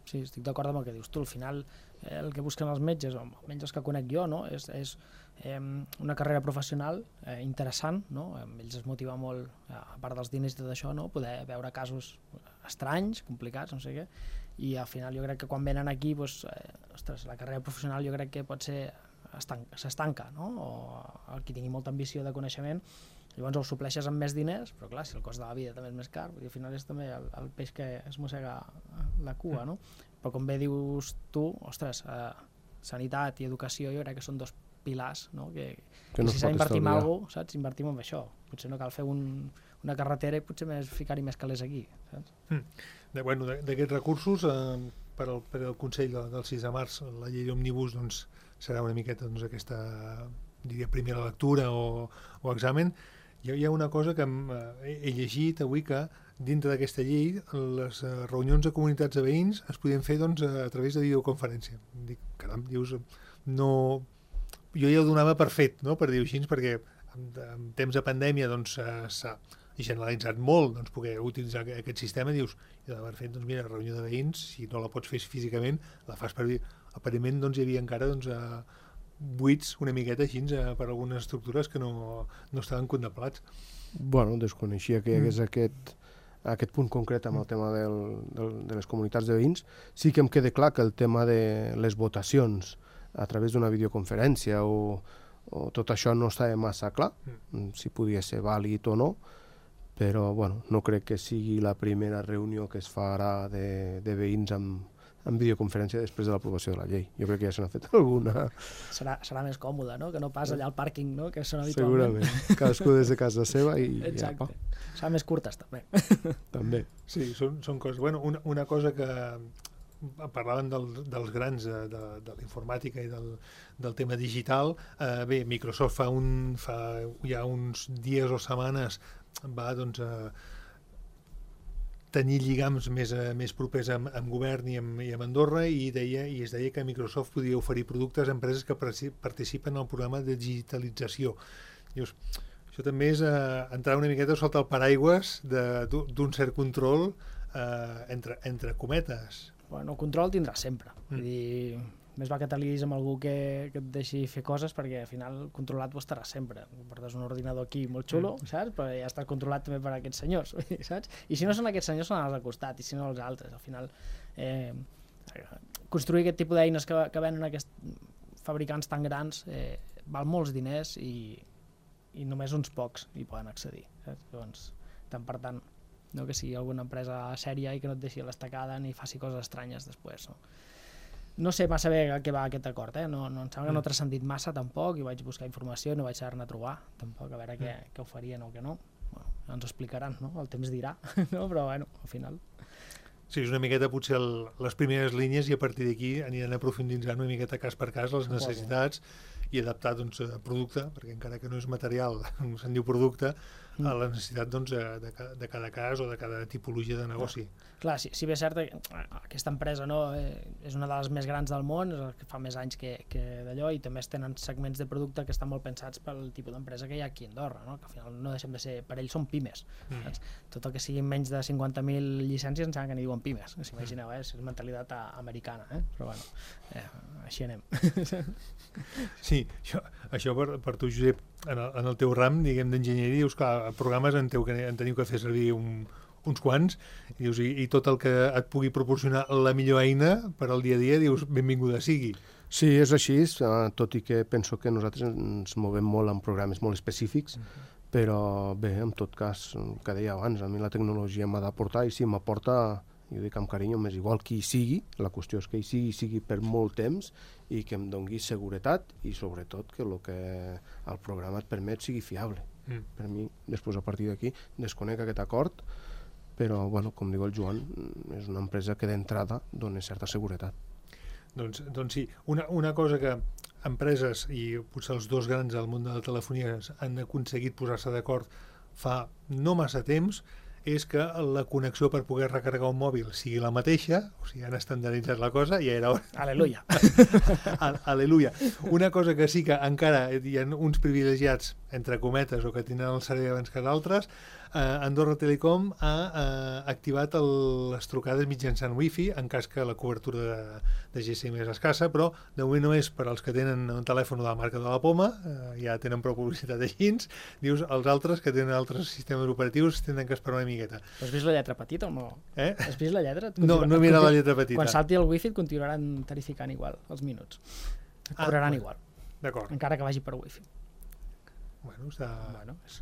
Speaker 3: Sí, estic d'acord amb el que dius tu. Al final, eh, el que busquen els metges, o almenys els que conec jo, no? és, és eh, una carrera professional eh, interessant, no? Ells es motiva molt, a part dels diners i tot això, no? Poder veure casos estranys, complicats, no sé què, i al final jo crec que quan venen aquí, doncs, eh, ostres, la carrera professional jo crec que pot ser s'estanca, no? O el qui tingui molta ambició de coneixement, llavors ho supleixes amb més diners, però clar, si el cost de la vida també és més car, i al final és també el, el peix que es mossega la cua, no? Però com bé dius tu, ostres, eh, sanitat i educació jo crec que són dos pilars, no? que,
Speaker 4: que no
Speaker 3: si s'ha d'invertir en alguna cosa, saps? Invertim en això. Potser no cal fer un, una carretera i potser més ficar-hi més calés aquí. Saps?
Speaker 2: Mm. De, bueno, d'aquests recursos, eh, per, al, per al Consell del, del sis de març, la llei òmnibus doncs, serà una miqueta doncs, aquesta diria, primera lectura o, o examen. Hi ha, hi ha una cosa que hem, eh, he llegit avui, que dintre d'aquesta llei les eh, reunions de comunitats de veïns es podien fer doncs, a, a través de videoconferència. Dic, caram, dius, no... Jo ja ho donava per fet, no? Per dir-ho així, perquè en, en temps de pandèmia doncs, s'ha generalitzat molt doncs, poder utilitzar aquest sistema. Dius, i per fet, doncs, mira, reunió de veïns, si no la pots fer físicament, la fas per... Aparentment doncs, hi havia encara doncs, a, buits una miqueta així per algunes estructures que no, no estaven contemplats.
Speaker 4: Bueno, desconeixia que hi hagués mm. aquest, aquest punt concret amb el tema del, del, de les comunitats de veïns. Sí que em queda clar que el tema de les votacions a través d'una videoconferència o, o tot això no estava massa clar, mm. si podia ser vàlid o no, però bueno, no crec que sigui la primera reunió que es farà de, de veïns amb, amb videoconferència després de l'aprovació de la llei. Jo crec que ja se n'ha fet alguna.
Speaker 3: Serà, serà més còmode, no? Que no pas allà al pàrquing, no? Que són habitualment.
Speaker 4: Segurament. Cadascú des de casa seva i
Speaker 3: exacte.
Speaker 4: Ja,
Speaker 3: serà més curtes, també.
Speaker 4: També.
Speaker 2: Sí, són, són coses... Bueno, una, una cosa que parlaven del, dels grans de, de, de la informàtica i del, del tema digital. Eh, bé, Microsoft fa, un, fa ja uns dies o setmanes va doncs, a tenir lligams més, més propers amb, amb govern i amb, i amb Andorra i, deia, i es deia que Microsoft podia oferir productes a empreses que participen al programa de digitalització. Dius, això també és eh, entrar una miqueta sota el paraigües d'un cert control eh, entre, entre cometes.
Speaker 3: Bueno, control tindrà sempre. Mm. Vull dir, més va que t'aliïs amb algú que, que et deixi fer coses, perquè al final controlat ho estarà sempre. Portes un ordinador aquí molt xulo, mm. saps? Però ja està controlat també per aquests senyors, saps? I si no són aquests senyors, són els al costat, i si no els altres. Al final, eh, construir aquest tipus d'eines que, que venen aquests fabricants tan grans eh, val molts diners i, i només uns pocs hi poden accedir. Saps? Llavors, tant per tant, no que sigui alguna empresa sèria i que no et deixi a l'estacada ni faci coses estranyes després. No, no sé massa bé a què va aquest acord, eh? no, no, em sembla que no ha transcendit massa tampoc, i vaig buscar informació, no vaig saber-ne trobar tampoc, a veure què, què ho farien o què no. Bueno, ja ens ho explicaran, no? El temps dirà, no? Però bueno, al final...
Speaker 2: Sí, és una miqueta potser el, les primeres línies i a partir d'aquí aniran aprofunditzant una miqueta cas per cas les necessitats i adaptar doncs, el producte, perquè encara que no és material, se'n diu producte, a la necessitat doncs, de, de cada cas o de cada tipologia de negoci.
Speaker 3: Clar, si, si bé és cert que aquesta empresa no, eh, és una de les més grans del món, és el que fa més anys que, que d'allò, i també tenen segments de producte que estan molt pensats pel tipus d'empresa que hi ha aquí a Andorra, no? Que al final no deixem de ser, per ells són pimes. Mm. Saps? Tot el que siguin menys de cinquanta mil llicències ens sembla que n'hi diuen pimes, si imagineu, eh? És mentalitat americana, eh? Però bueno, eh, així anem.
Speaker 2: Sí, això, això per, per tu, Josep, en el, en el teu ram, diguem, d'enginyeria, dius, clar, programes en, teu, en teniu que fer servir un, uns quants, i, dius, i, i tot el que et pugui proporcionar la millor eina per al dia a dia, dius, benvinguda sigui.
Speaker 4: Sí, és així, tot i que penso que nosaltres ens movem molt en programes molt específics, uh-huh. Però bé, en tot cas, el que deia abans, a mi la tecnologia m'ha d'aportar, i si m'aporta, jo dic amb carinyo, més igual qui hi sigui, la qüestió és que hi sigui, sigui per molt temps i que em doni seguretat i sobretot que el que el programa et permet sigui fiable. Mm. Per mi, després a partir d'aquí, desconec aquest acord, però, bueno, com diu el Joan, és una empresa que d'entrada dona certa seguretat.
Speaker 2: Doncs, doncs sí, una, una cosa que empreses i potser els dos grans del món de la telefonia han aconseguit posar-se d'acord fa no massa temps és que la connexió per poder recarregar un mòbil sigui la mateixa, o sigui, han estandarditzat la cosa, ja era hora.
Speaker 3: Aleluia.
Speaker 2: Aleluia. Una cosa que sí que encara hi ha uns privilegiats, entre cometes, o que tenen el servei abans que d'altres, eh, Andorra Telecom ha eh, activat el, les trucades mitjançant wifi, en cas que la cobertura de, de G S M és escassa, però de moment no és per als que tenen un telèfon de la marca de la Poma, eh, ja tenen prou publicitat així, dius, els altres que tenen altres sistemes operatius tenen que esperar una miqueta.
Speaker 3: Has vist la lletra petita o no?
Speaker 2: Eh?
Speaker 3: Has vist la lletra?
Speaker 2: No, no he mirat la lletra petita.
Speaker 3: Quan salti el wifi et continuaran tarificant igual els minuts. Et cobraran
Speaker 2: ah,
Speaker 3: igual.
Speaker 2: D'acord.
Speaker 3: Encara que vagi per wifi.
Speaker 2: Bueno, està...
Speaker 3: Bueno, és...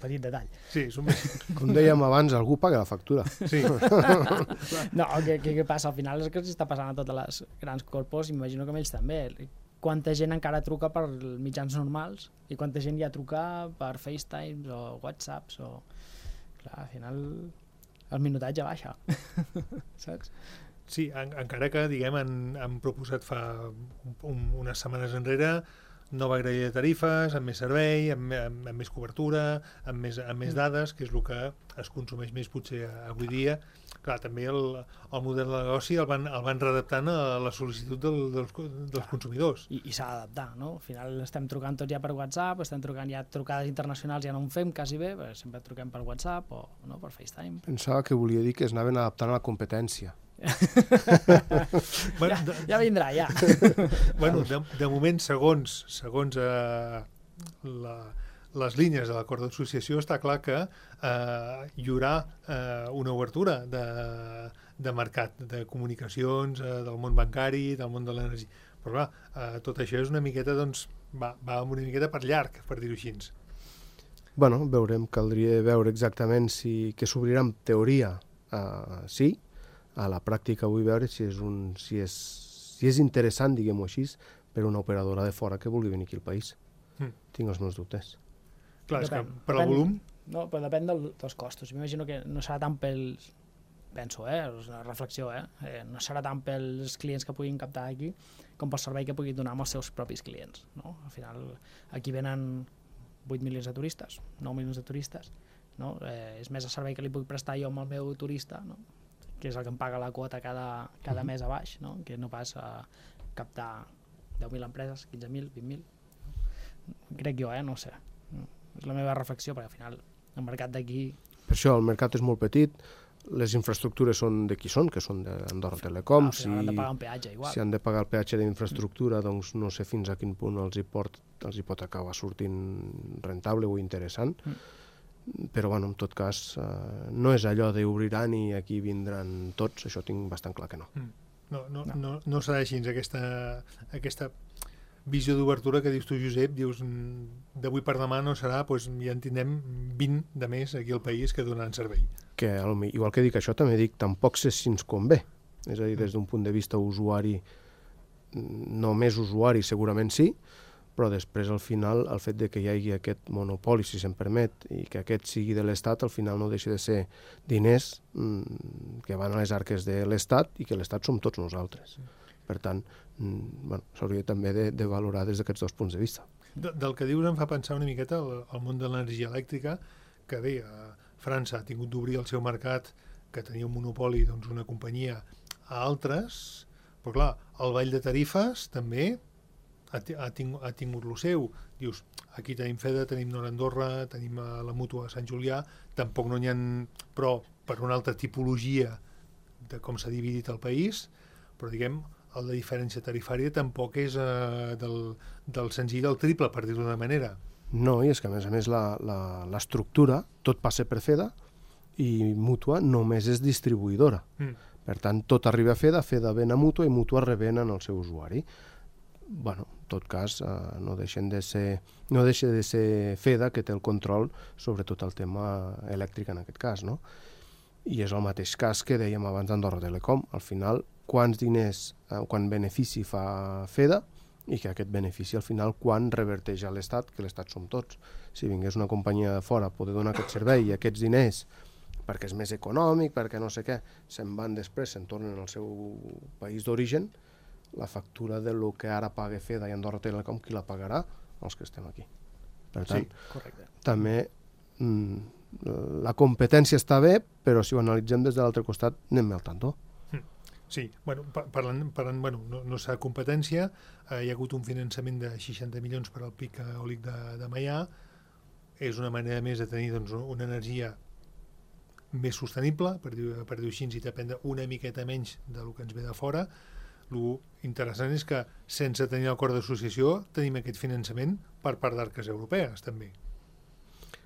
Speaker 3: petit detall.
Speaker 2: Sí, és un...
Speaker 4: Com dèiem abans, algú paga la factura.
Speaker 2: Sí.
Speaker 3: No, el que, que, que passa al final és que s'està passant a totes les grans corpos, imagino que amb ells també. Quanta gent encara truca per mitjans normals i quanta gent ja truca per FaceTime o WhatsApps o... Clar, al final el minutatge baixa, saps?
Speaker 2: Sí, en, encara que, diguem, han, han proposat fa un, unes setmanes enrere nova grella de tarifes, amb més servei, amb, amb, amb més cobertura, amb més, amb més dades, que és el que es consumeix més potser avui dia. Clar, també el, el model de negoci el van, el van readaptant a la sol·licitud del, dels, dels consumidors.
Speaker 3: I, i s'ha d'adaptar, no? Al final estem trucant tots ja per WhatsApp, estem trucant ja trucades internacionals, ja no en fem quasi bé, sempre truquem per WhatsApp o no, per FaceTime.
Speaker 4: Pensava que volia dir que es anaven adaptant a la competència.
Speaker 2: bueno,
Speaker 3: ja,
Speaker 2: de,
Speaker 3: ja vindrà, ja.
Speaker 2: bueno, de, de moment, segons, segons eh, la, les línies de l'acord d'associació, està clar que eh, hi haurà eh, una obertura de, de mercat, de comunicacions, eh, del món bancari, del món de l'energia. Però clar, eh, tot això és una miqueta, doncs, va, va una miqueta per llarg, per dir-ho així.
Speaker 4: Bueno, veurem, caldria veure exactament si que s'obrirà en teoria, eh, sí, a la pràctica vull veure si és, un, si és, si és interessant, diguem-ho així, per una operadora de fora que vulgui venir aquí al país. Mm. Tinc els meus dubtes.
Speaker 2: Clar,
Speaker 3: depèn,
Speaker 2: és que per
Speaker 3: depèn,
Speaker 2: el volum...
Speaker 3: No, però depèn del, dels costos. M'imagino que no serà tant pels... Penso, eh? És una reflexió, eh? eh? No serà tant pels clients que puguin captar aquí com pel servei que puguin donar amb els seus propis clients, no? Al final, aquí venen vuit milions de turistes, nou milions de turistes, no? Eh, és més el servei que li puc prestar jo amb el meu turista, no? Que és el que em paga la quota cada, cada mes a baix, no? Que no pas a captar deu mil empreses, quinze mil, vint mil. Crec jo, eh? No sé. No. És la meva reflexió, perquè al final el mercat d'aquí...
Speaker 4: Per això, el mercat és molt petit, les infraestructures són de qui són, que són d'Andorra Telecom.
Speaker 3: Al final si, han de pagar un peatge, igual.
Speaker 4: Si han de pagar el peatge d'infraestructura, mm. doncs no sé fins a quin punt els hi, port, els hi pot acabar sortint rentable o interessant. Mm. Però, bueno, en tot cas, eh, no és allò d'obriran i aquí vindran tots, això tinc bastant clar que no.
Speaker 2: Mm. No, no, no. no, no serà així, aquesta, aquesta visió d'obertura que dius tu, Josep, dius, d'avui per demà no serà, doncs ja en tindrem vint de més aquí al país que donaran servei.
Speaker 4: Que, igual que dic això, també dic, tampoc sé si ens convé. És a dir, des d'un punt de vista usuari, només usuari segurament sí, però després, al final, el fet de que hi hagi aquest monopoli, si se'n permet, i que aquest sigui de l'Estat, al final no deixa de ser diners mmm, que van a les arques de l'Estat i que l'Estat som tots nosaltres. Per tant, mmm, bueno, s'hauria també de, de valorar des d'aquests dos punts de vista.
Speaker 2: De, del que dius em fa pensar una miqueta al, al món de l'energia elèctrica, que bé, França ha tingut d'obrir el seu mercat, que tenia un monopoli, doncs una companyia, a altres, però clar, el ball de tarifes també ha, ha, tingut, ha tingut lo seu. Dius, aquí tenim Feda, tenim Nord Andorra, tenim la Mútua Sant Julià, tampoc no n'hi ha, però per una altra tipologia de com s'ha dividit el país, però diguem, el de diferència tarifària tampoc és eh, del, del senzill al triple, per dir-ho d'una manera.
Speaker 4: No, i és que a més a més l'estructura, tot passa per Feda i Mútua només és distribuïdora. Mm. Per tant, tot arriba a Feda, Feda ven a Mútua i Mútua revenen al seu usuari. Bueno, en tot cas, eh, no deixen de ser, no deixa de ser Feda que té el control sobre tot el tema elèctric en aquest cas, no? I és el mateix cas que dèiem abans d'Andorra Telecom. Al final, quants diners, eh, quan benefici fa Feda i que aquest benefici al final quan reverteix a l'Estat, que l'Estat som tots. Si vingués una companyia de fora a poder donar aquest servei i aquests diners perquè és més econòmic, perquè no sé què, se'n van després, se'n tornen al seu país d'origen, la factura de lo que ara paga Feda i Andorra Telecom, qui la pagarà? Els que estem aquí. Per tant,
Speaker 3: sí, correcte.
Speaker 4: També mm, la competència està bé, però si ho analitzem des de l'altre costat, anem al tanto.
Speaker 2: Sí, bueno, parlant, parlant bueno, no, no s'ha competència, eh, hi ha hagut un finançament de seixanta milions per al pic eòlic de, de Maià, és una manera més de tenir doncs, una energia més sostenible, per dir-ho per dir així, i depèn una miqueta menys del que ens ve de fora. Lo interessant és que sense tenir l'acord d'associació tenim aquest finançament per part d'arques europees també.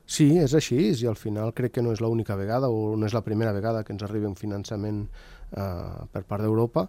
Speaker 4: Sí, és així, i al final crec que no és l'única vegada o no és la primera vegada que ens arriba un finançament eh, per part d'Europa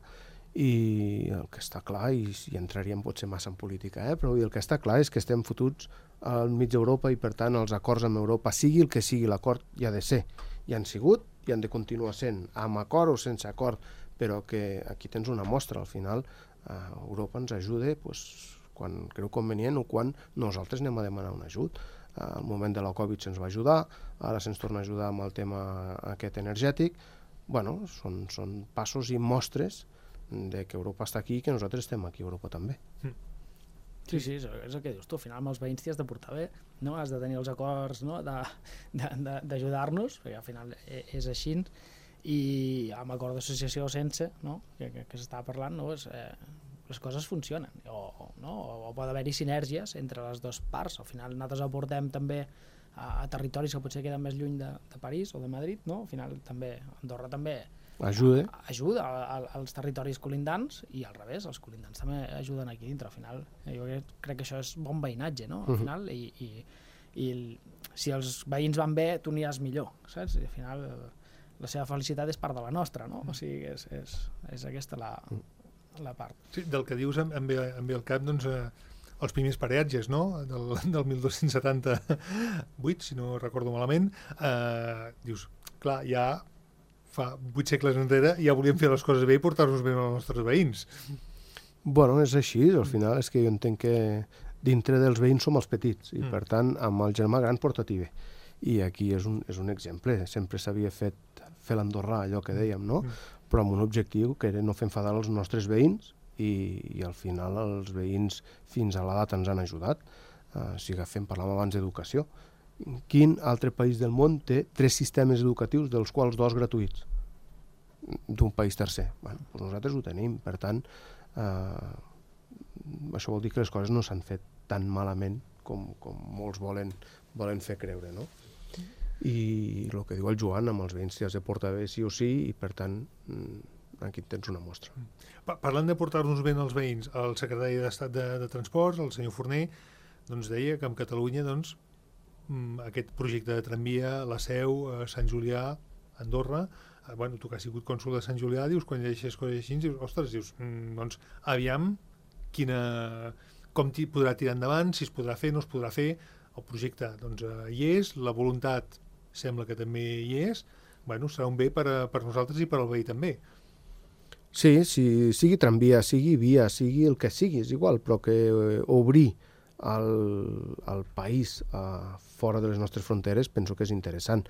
Speaker 4: i el que està clar, i, i entraríem potser massa en política, eh? però el que està clar és que estem fotuts al mig d'Europa i per tant els acords amb Europa, sigui el que sigui l'acord, hi ha de ser, hi han sigut i han de continuar sent, amb acord o sense acord, però que aquí tens una mostra, al final eh, Europa ens ajuda pues, quan creu convenient o quan nosaltres anem a demanar un ajut. Eh, al moment de la Covid se'ns va ajudar, ara se'ns torna a ajudar amb el tema aquest energètic. Bueno, són, són passos i mostres de que Europa està aquí i que nosaltres estem aquí a Europa també.
Speaker 3: Sí, sí, és el que dius tu, al final amb els veïns t'hi has de portar bé, no? Has de tenir els acords, no? d'ajudar-nos, perquè al final és així, i amb acord d'associació o sense, no? que, que, que s'estava parlant, no? és, eh, les coses funcionen, o, no? o pot haver-hi sinergies entre les dues parts, al final nosaltres aportem també a, a territoris que potser queden més lluny de, de París o de Madrid, no? Al final també Andorra també
Speaker 4: ajuda,
Speaker 3: ajuda a, a, als territoris colindants i al revés, els colindants també ajuden aquí dintre. Al final, jo crec, crec que això és bon veïnatge, no? Al final, i, i, i el, si els veïns van bé, tu aniràs millor, saps? I al final la seva felicitat és part de la nostra, no? O sigui, és, és, és aquesta la, la part.
Speaker 2: Sí, del que dius em, em, ve, em ve al cap, doncs, eh, els primers peatges, no? Del, del mil dos-cents setanta-vuit, si no recordo malament, eh, dius, clar, ja fa vuit segles enrere ja volíem fer les coses bé i portar-nos bé als nostres veïns.
Speaker 4: Bueno, és així, al final és que jo entenc que dintre dels veïns som els petits i mm. per tant amb el germà gran porta-t'hi bé. I aquí és un, és un exemple, sempre s'havia fet fer l'Andorrà, allò que dèiem, no? Mm. Però amb un objectiu que era no fer enfadar els nostres veïns i, i al final els veïns fins a l'edat ens han ajudat. Uh, si agafem, parlàvem abans d'educació. Quin altre país del món té tres sistemes educatius, dels quals dos gratuïts, d'un país tercer? Bueno, doncs nosaltres ho tenim, per tant, eh, això vol dir que les coses no s'han fet tan malament com, com molts volen, volen fer creure, no? I el que diu el Joan, amb els veïns s'hi has de portar bé sí o sí, i per tant, aquí tens una mostra.
Speaker 2: Parlant de portar-nos bé els veïns, el secretari d'Estat de, de Transports, el senyor Forner, doncs deia que en Catalunya, doncs, aquest projecte de tramvia, la Seu, Sant Julià, Andorra, eh, bueno, tu que has sigut cònsol de Sant Julià, dius, quan llegeixes coses així, dius, ostres, dius, mm, doncs, aviam, quina, com podrà tirar endavant, si es podrà fer, no es podrà fer, el projecte, doncs, eh, hi és, la voluntat sembla que també hi és, bueno, serà un bé per, a, per nosaltres i per al veí també.
Speaker 4: Sí, si sigui tramvia, sigui via, sigui el que sigui, és igual, però que eh, obrir el, el país eh, fora de les nostres fronteres penso que és interessant.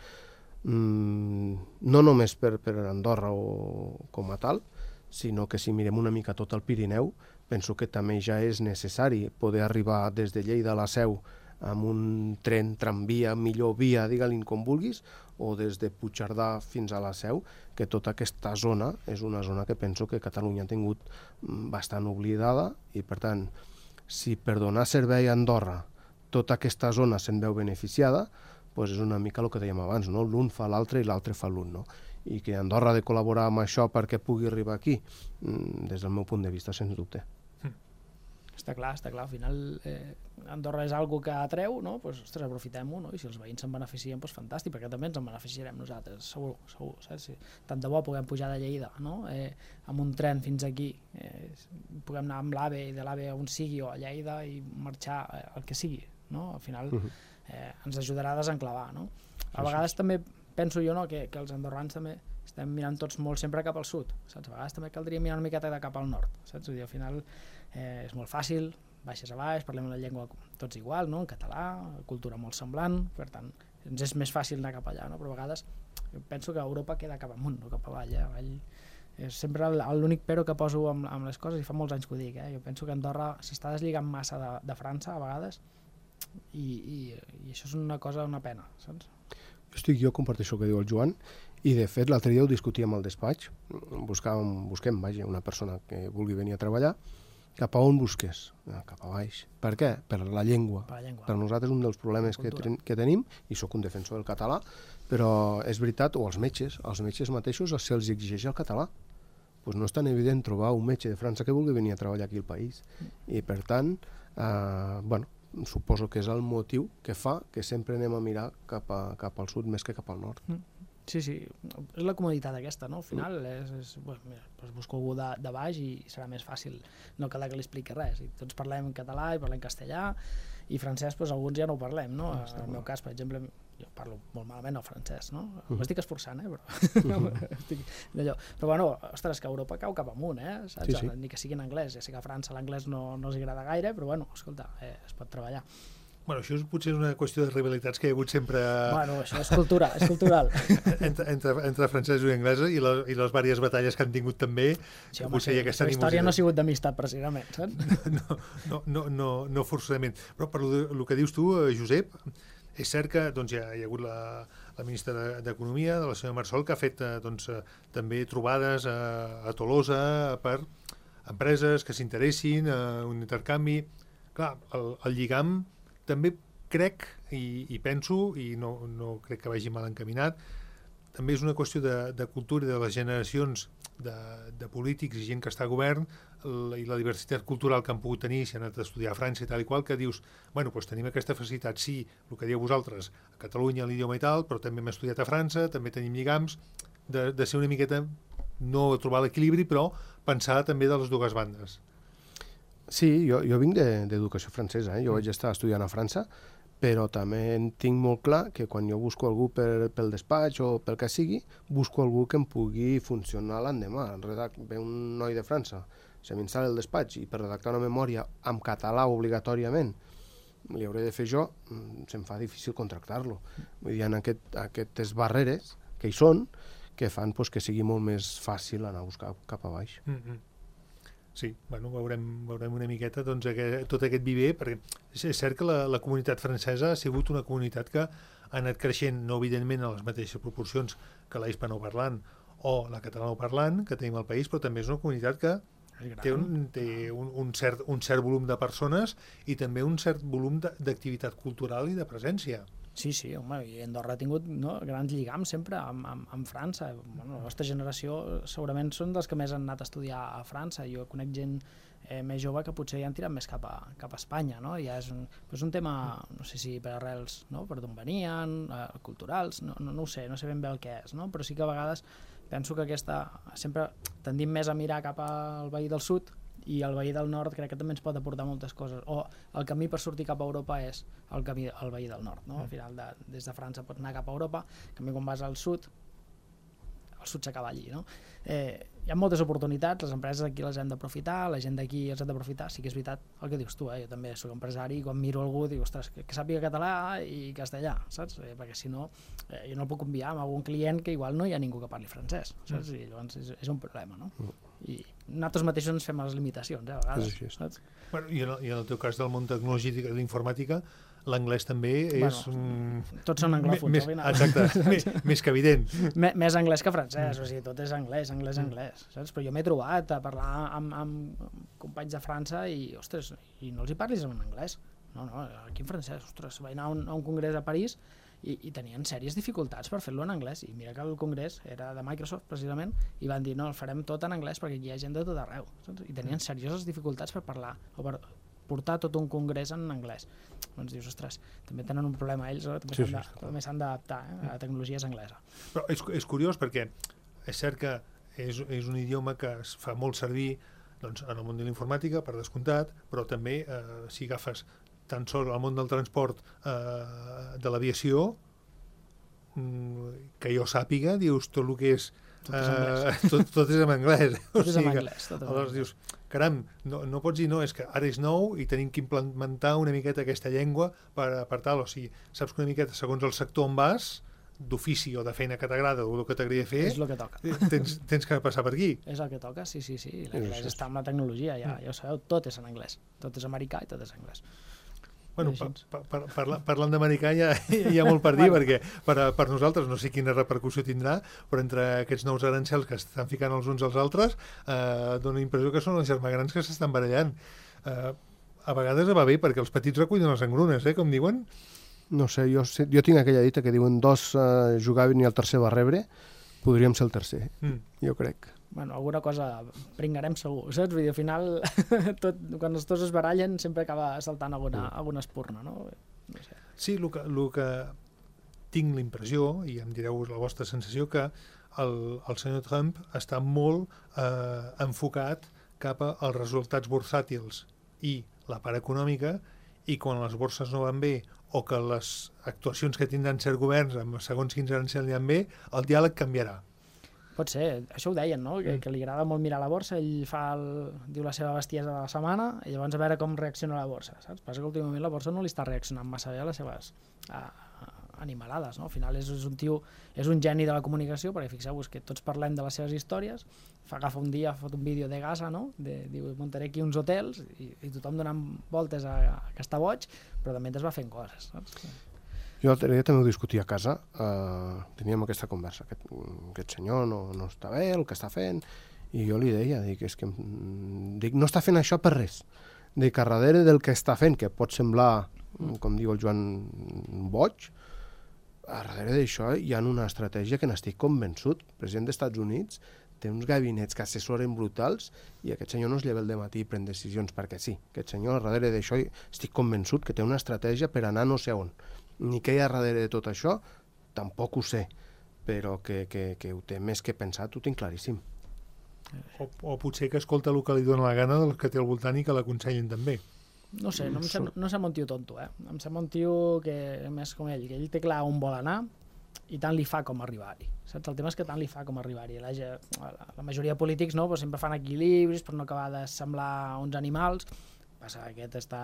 Speaker 4: Mm, no només per, per Andorra o com a tal, sinó que si mirem una mica tot el Pirineu, penso que també ja és necessari poder arribar des de Lleida a la Seu amb un tren, tramvia, millor via, digue-li com vulguis, o des de Puigcerdà fins a la Seu, que tota aquesta zona és una zona que penso que Catalunya ha tingut bastant oblidada i, per tant, si per donar servei a Andorra tota aquesta zona se'n veu beneficiada, doncs és una mica el que dèiem abans, no? L'un fa l'altre i l'altre fa l'un, no? I que Andorra ha de col·laborar amb això perquè pugui arribar aquí, des del meu punt de vista, sens dubte.
Speaker 3: Està clar, està clar. Al final eh, Andorra és algo que atreu, no? Pues, ostres, aprofitem-ho, no? I si els veïns se'n beneficien, doncs fantàstic, perquè també ens en beneficiarem nosaltres, segur, segur, saps? Tant de bo puguem pujar de Lleida, no? Eh, amb un tren fins aquí, eh, puguem anar amb l'AVE i de l'AVE on sigui o a Lleida i marxar eh, el que sigui, no? Al final eh, ens ajudarà a desenclavar, no? A vegades també penso jo, no?, que, que els andorrans també estem mirant tots molt sempre cap al sud, saps? A vegades també caldria mirar una miqueta de cap al nord, saps? Vull dir, al final eh, és molt fàcil, baixes a baix, parlem la llengua tots igual, no?, en català, cultura molt semblant, per tant, ens és més fàcil anar cap allà, no? Però a vegades jo penso que Europa queda cap amunt, no cap avall, eh? avall és sempre l'únic però que poso amb, amb les coses, i fa molts anys que ho dic, eh? Jo penso que Andorra s'està deslligant massa de, de França a vegades, i, i, i això és una cosa, una pena, saps?
Speaker 4: Jo estic, jo comparteixo el que diu el Joan, i de fet l'altre dia ho discutíem al despatx, buscàvem, busquem, vaja, una persona que vulgui venir a treballar, cap a on busques? Cap a baix. Per què? Per la llengua.
Speaker 3: Per la llengua.
Speaker 4: Per nosaltres un dels problemes que, que tenim, i sóc un defensor del català, però és veritat, o els metges, els metges mateixos se'ls exigeix el català. Pues no és tan evident trobar un metge de França que vulgui venir a treballar aquí al país. I per tant, eh, bueno, suposo que és el motiu que fa que sempre anem a mirar cap, a, cap al sud més que cap al nord.
Speaker 3: Sí, sí, és la comoditat aquesta, no? Al final, és, és, pues, mira, pues busco algú de, de baix i serà més fàcil, no cal que li expliqui res. I tots parlem català i parlem castellà, i francès, pues, alguns ja no ho parlem, no? Ah, en el meu cas, per exemple, jo parlo molt malament el francès, no? Uh -huh. M'estic esforçant, eh? Però, estic d'allò. Però bueno, ostres, que Europa cau cap amunt, eh? Saps? Sí, sí. Ni que sigui en anglès, ja sé que a França l'anglès no, no els agrada gaire, però bueno, escolta, eh, es pot treballar.
Speaker 2: Bueno, això és, potser és una qüestió de rivalitats que hi ha hagut sempre...
Speaker 3: Bueno, això és cultura, és cultural.
Speaker 2: entre, entre, entre francesos i anglesos i, la, i les diverses batalles que han tingut també.
Speaker 3: Sí, home, sí, la història no ha sigut d'amistat, precisament, saps?
Speaker 2: No, no, no, no, no forçosament. Però per el que dius tu, Josep, és cert que doncs, ja hi ha hagut la, la ministra d'Economia, de la senyora Marsol, que ha fet doncs, també trobades a, a Tolosa per empreses que s'interessin, un intercanvi. Clar, el, el lligam també crec i, i penso, i no, no crec que vagi mal encaminat, també és una qüestió de, de cultura i de les generacions de, de polítics i gent que està a govern la, i la diversitat cultural que han pogut tenir si han anat a estudiar a França i tal i qual, que dius, bueno, doncs tenim aquesta facilitat, sí, el que dieu vosaltres, a Catalunya l'idioma i tal, però també hem estudiat a França, també tenim lligams, de, de ser una miqueta, no trobar l'equilibri, però pensar també de les dues bandes.
Speaker 4: Sí, jo, jo vinc d'educació de, francesa, eh? Jo vaig estar estudiant a França, però també en tinc molt clar que quan jo busco algú per, pel despatx o pel que sigui, busco algú que em pugui funcionar l'endemà. Ve un noi de França, se m'instal·la el despatx i per redactar una memòria en català obligatòriament li hauré de fer jo, se'm fa difícil contractar-lo. Vull dir, hi ha aquest, aquestes barreres que hi són que fan pues, que sigui molt més fàcil anar a buscar cap a baix.
Speaker 2: Mm-hmm. Sí, bueno, veurem, veurem una miqueta doncs, aquest, tot aquest viver, perquè és cert que la, la comunitat francesa ha sigut una comunitat que ha anat creixent, no evidentment a les mateixes proporcions que la hispanoparlant o la catalanoparlant que tenim al país, però també és una comunitat que té, un, té un, un, cert, un cert volum de persones i també un cert volum d'activitat cultural i de presència.
Speaker 3: Sí, sí, home, i Andorra ha tingut no, grans lligams sempre amb, amb, amb França. Bueno, la nostra generació segurament són dels que més han anat a estudiar a França. Jo conec gent eh, més jove que potser ja han tirat més cap a, cap a Espanya, no? Ja és un, és un tema, no sé si per arrels, no? Per d'on venien, eh, culturals, no, no, no ho sé, no sé ben bé el que és, no? Però sí que a vegades penso que aquesta, sempre tendim més a mirar cap al veí del sud i el veí del nord crec que també ens pot aportar moltes coses, o el camí per sortir cap a Europa és el camí el veí del nord, no? Al final de, des de França pots anar cap a Europa, en canvi quan vas al sud el sud s'acaba allí, no? Eh, hi ha moltes oportunitats, les empreses aquí les hem d'aprofitar, la gent d'aquí els hem d'aprofitar, sí que és veritat el que dius tu, eh? Jo també soc empresari i quan miro algú dic, ostres, que, que sàpiga català i castellà, saps? Eh, perquè si no, eh, jo no el puc enviar a algun client que igual no hi ha ningú que parli francès, saps? I llavors és, és un problema, no? I nosaltres mateixos ens fem les limitacions, eh, a vegades,
Speaker 4: sí, sí.
Speaker 3: saps?
Speaker 2: Bueno, i, en el, I en el teu cas del món tecnològic i de l'informàtica, l'anglès també és...
Speaker 3: Bueno, mm, tots són anglòfons,
Speaker 2: més,
Speaker 3: al final.
Speaker 2: exacte, més, més que evident.
Speaker 3: M més anglès que francès, mm. o sigui, tot és anglès, anglès, mm. anglès, saps? Però jo m'he trobat a parlar amb, amb companys de França i, ostres, i no els hi parlis en anglès. No, no, aquí en francès, ostres, vaig anar a un, a un congrés a París i, i tenien sèries dificultats per fer-lo en anglès. I mira que el congrés era de Microsoft, precisament, i van dir, no, el farem tot en anglès perquè hi ha gent de tot arreu, saps? I tenien serioses dificultats per parlar, o per portar tot un congrés en anglès. Doncs dius, ostres, també tenen un problema ells, eh? també s'han sí, sí, d'adaptar eh? a tecnologies anglesa.
Speaker 2: Però és, és curiós perquè és cert que és, és un idioma que es fa molt servir doncs, en el món de la informàtica, per descomptat, però també eh, si agafes tan sols el món del transport eh, de l'aviació, que jo sàpiga, dius, tot el que és
Speaker 3: tot és anglès,
Speaker 2: uh, tot, tot és en anglès.
Speaker 3: Tot és en anglès. Tot
Speaker 2: Aleshores dius, caram, no, no pots dir no, és que ara és nou i tenim que implementar una miqueta aquesta llengua per, per tal, o sigui, saps que una miqueta segons el sector on vas, d'ofici o de feina que t'agrada o el que t'agradaria fer,
Speaker 3: és el que toca.
Speaker 2: Tens, tens que passar per aquí.
Speaker 3: És el que toca, sí, sí, sí. L'anglès està amb la tecnologia, ja, ja ho sabeu, tot és en anglès. Tot és americà i tot és anglès.
Speaker 2: Bueno, pa, pa, pa, parla, parlant d'americà ja hi ha molt per dir, bueno. perquè per, per nosaltres no sé quina repercussió tindrà, però entre aquests nous arancels que estan ficant els uns als altres, eh, dona la impressió que són els germans que s'estan barallant. Eh, a vegades va bé, perquè els petits recullen les engrunes, eh, com diuen.
Speaker 4: No sé, jo, jo tinc aquella dita que diuen dos eh, jugaven i el tercer va rebre, podríem ser el tercer, mm. jo crec.
Speaker 3: Bueno, alguna cosa pringarem segur, saps? Vull dir, al final, tot, quan els dos es barallen, sempre acaba saltant alguna, alguna espurna, no? No sé.
Speaker 2: Sí, el que, el que tinc l'impressió, i em direu la vostra sensació, que el, el senyor Trump està molt eh, enfocat cap als resultats bursàtils i la part econòmica, i quan les borses no van bé o que les actuacions que tindran certs governs amb segons quins anys aniran bé, el diàleg canviarà.
Speaker 3: Pot ser, això ho deien, no? Que, que li agrada molt mirar la borsa, ell fa el, diu la seva bestiesa de la setmana i llavors a veure com reacciona la borsa, saps? Passa que últimament la borsa no li està reaccionant massa bé a les seves a, a, animalades, no? Al final és, és un tio, és un geni de la comunicació, perquè fixeu-vos que tots parlem de les seves històries, fa agafa un dia, fot un vídeo de Gaza, no? De, diu, muntaré aquí uns hotels i, i tothom donant voltes a, a que està boig, però també es va fent coses, saps?
Speaker 4: Jo l'altre dia també ho discutia a casa, eh, teníem aquesta conversa, aquest, aquest senyor no, no està bé, el que està fent, i jo li deia, dic, és que, dic, no està fent això per res, dic, a darrere del que està fent, que pot semblar, com diu el Joan, boig, a darrere d'això hi ha una estratègia que n'estic convençut. El president dels Estats Units té uns gabinets que assessoren brutals i aquest senyor no es lleva el dematí i pren decisions perquè sí. Aquest senyor, a darrere d'això, estic convençut que té una estratègia per anar no sé on. Ni què hi ha darrere de tot això, tampoc ho sé, però que, que, que ho té més que pensat, ho tinc claríssim.
Speaker 2: O, o potser que escolta el que li dona la gana dels que té al voltant i que l'aconsellin també.
Speaker 3: No sé, no em sembla, no sembla un tio tonto, eh? Em sembla un tio que, més com ell, que ell té clar on vol anar i tant li fa com arribar-hi. Saps? El tema és que tant li fa com arribar-hi. La, la, la majoria de polítics no, pues sempre fan equilibris per no acabar de semblar uns animals. Passa que aquest està...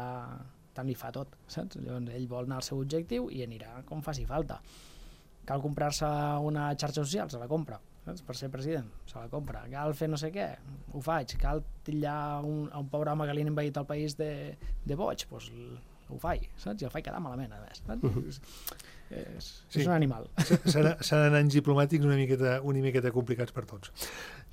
Speaker 3: tant li fa tot, saps? Llavors ell vol anar al seu objectiu i anirà com faci falta. Cal comprar-se una xarxa social, se la compra, saps? Per ser president, se la compra. Cal fer no sé què, ho faig. Cal titllar un, un pobre home que li han envaït el país de, de boig, doncs ho faig, saps? I el faig quedar malament, a més. Saps? Uh -huh. és,
Speaker 2: sí.
Speaker 3: és un animal.
Speaker 2: Seran anys diplomàtics una miqueta, una miqueta complicats per tots.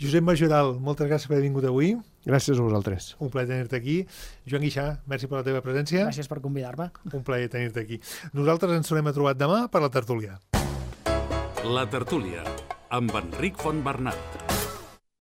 Speaker 2: Josep Majoral, moltes gràcies per haver vingut avui.
Speaker 4: Gràcies a vosaltres.
Speaker 2: Un plaer tenir-te aquí. Joan Guixà, merci per la teva presència.
Speaker 3: Gràcies per convidar-me.
Speaker 2: Un plaer tenir-te aquí. Nosaltres ens tornem a trobar demà per la tertúlia.
Speaker 1: La tertúlia, amb Enric Fontbernat.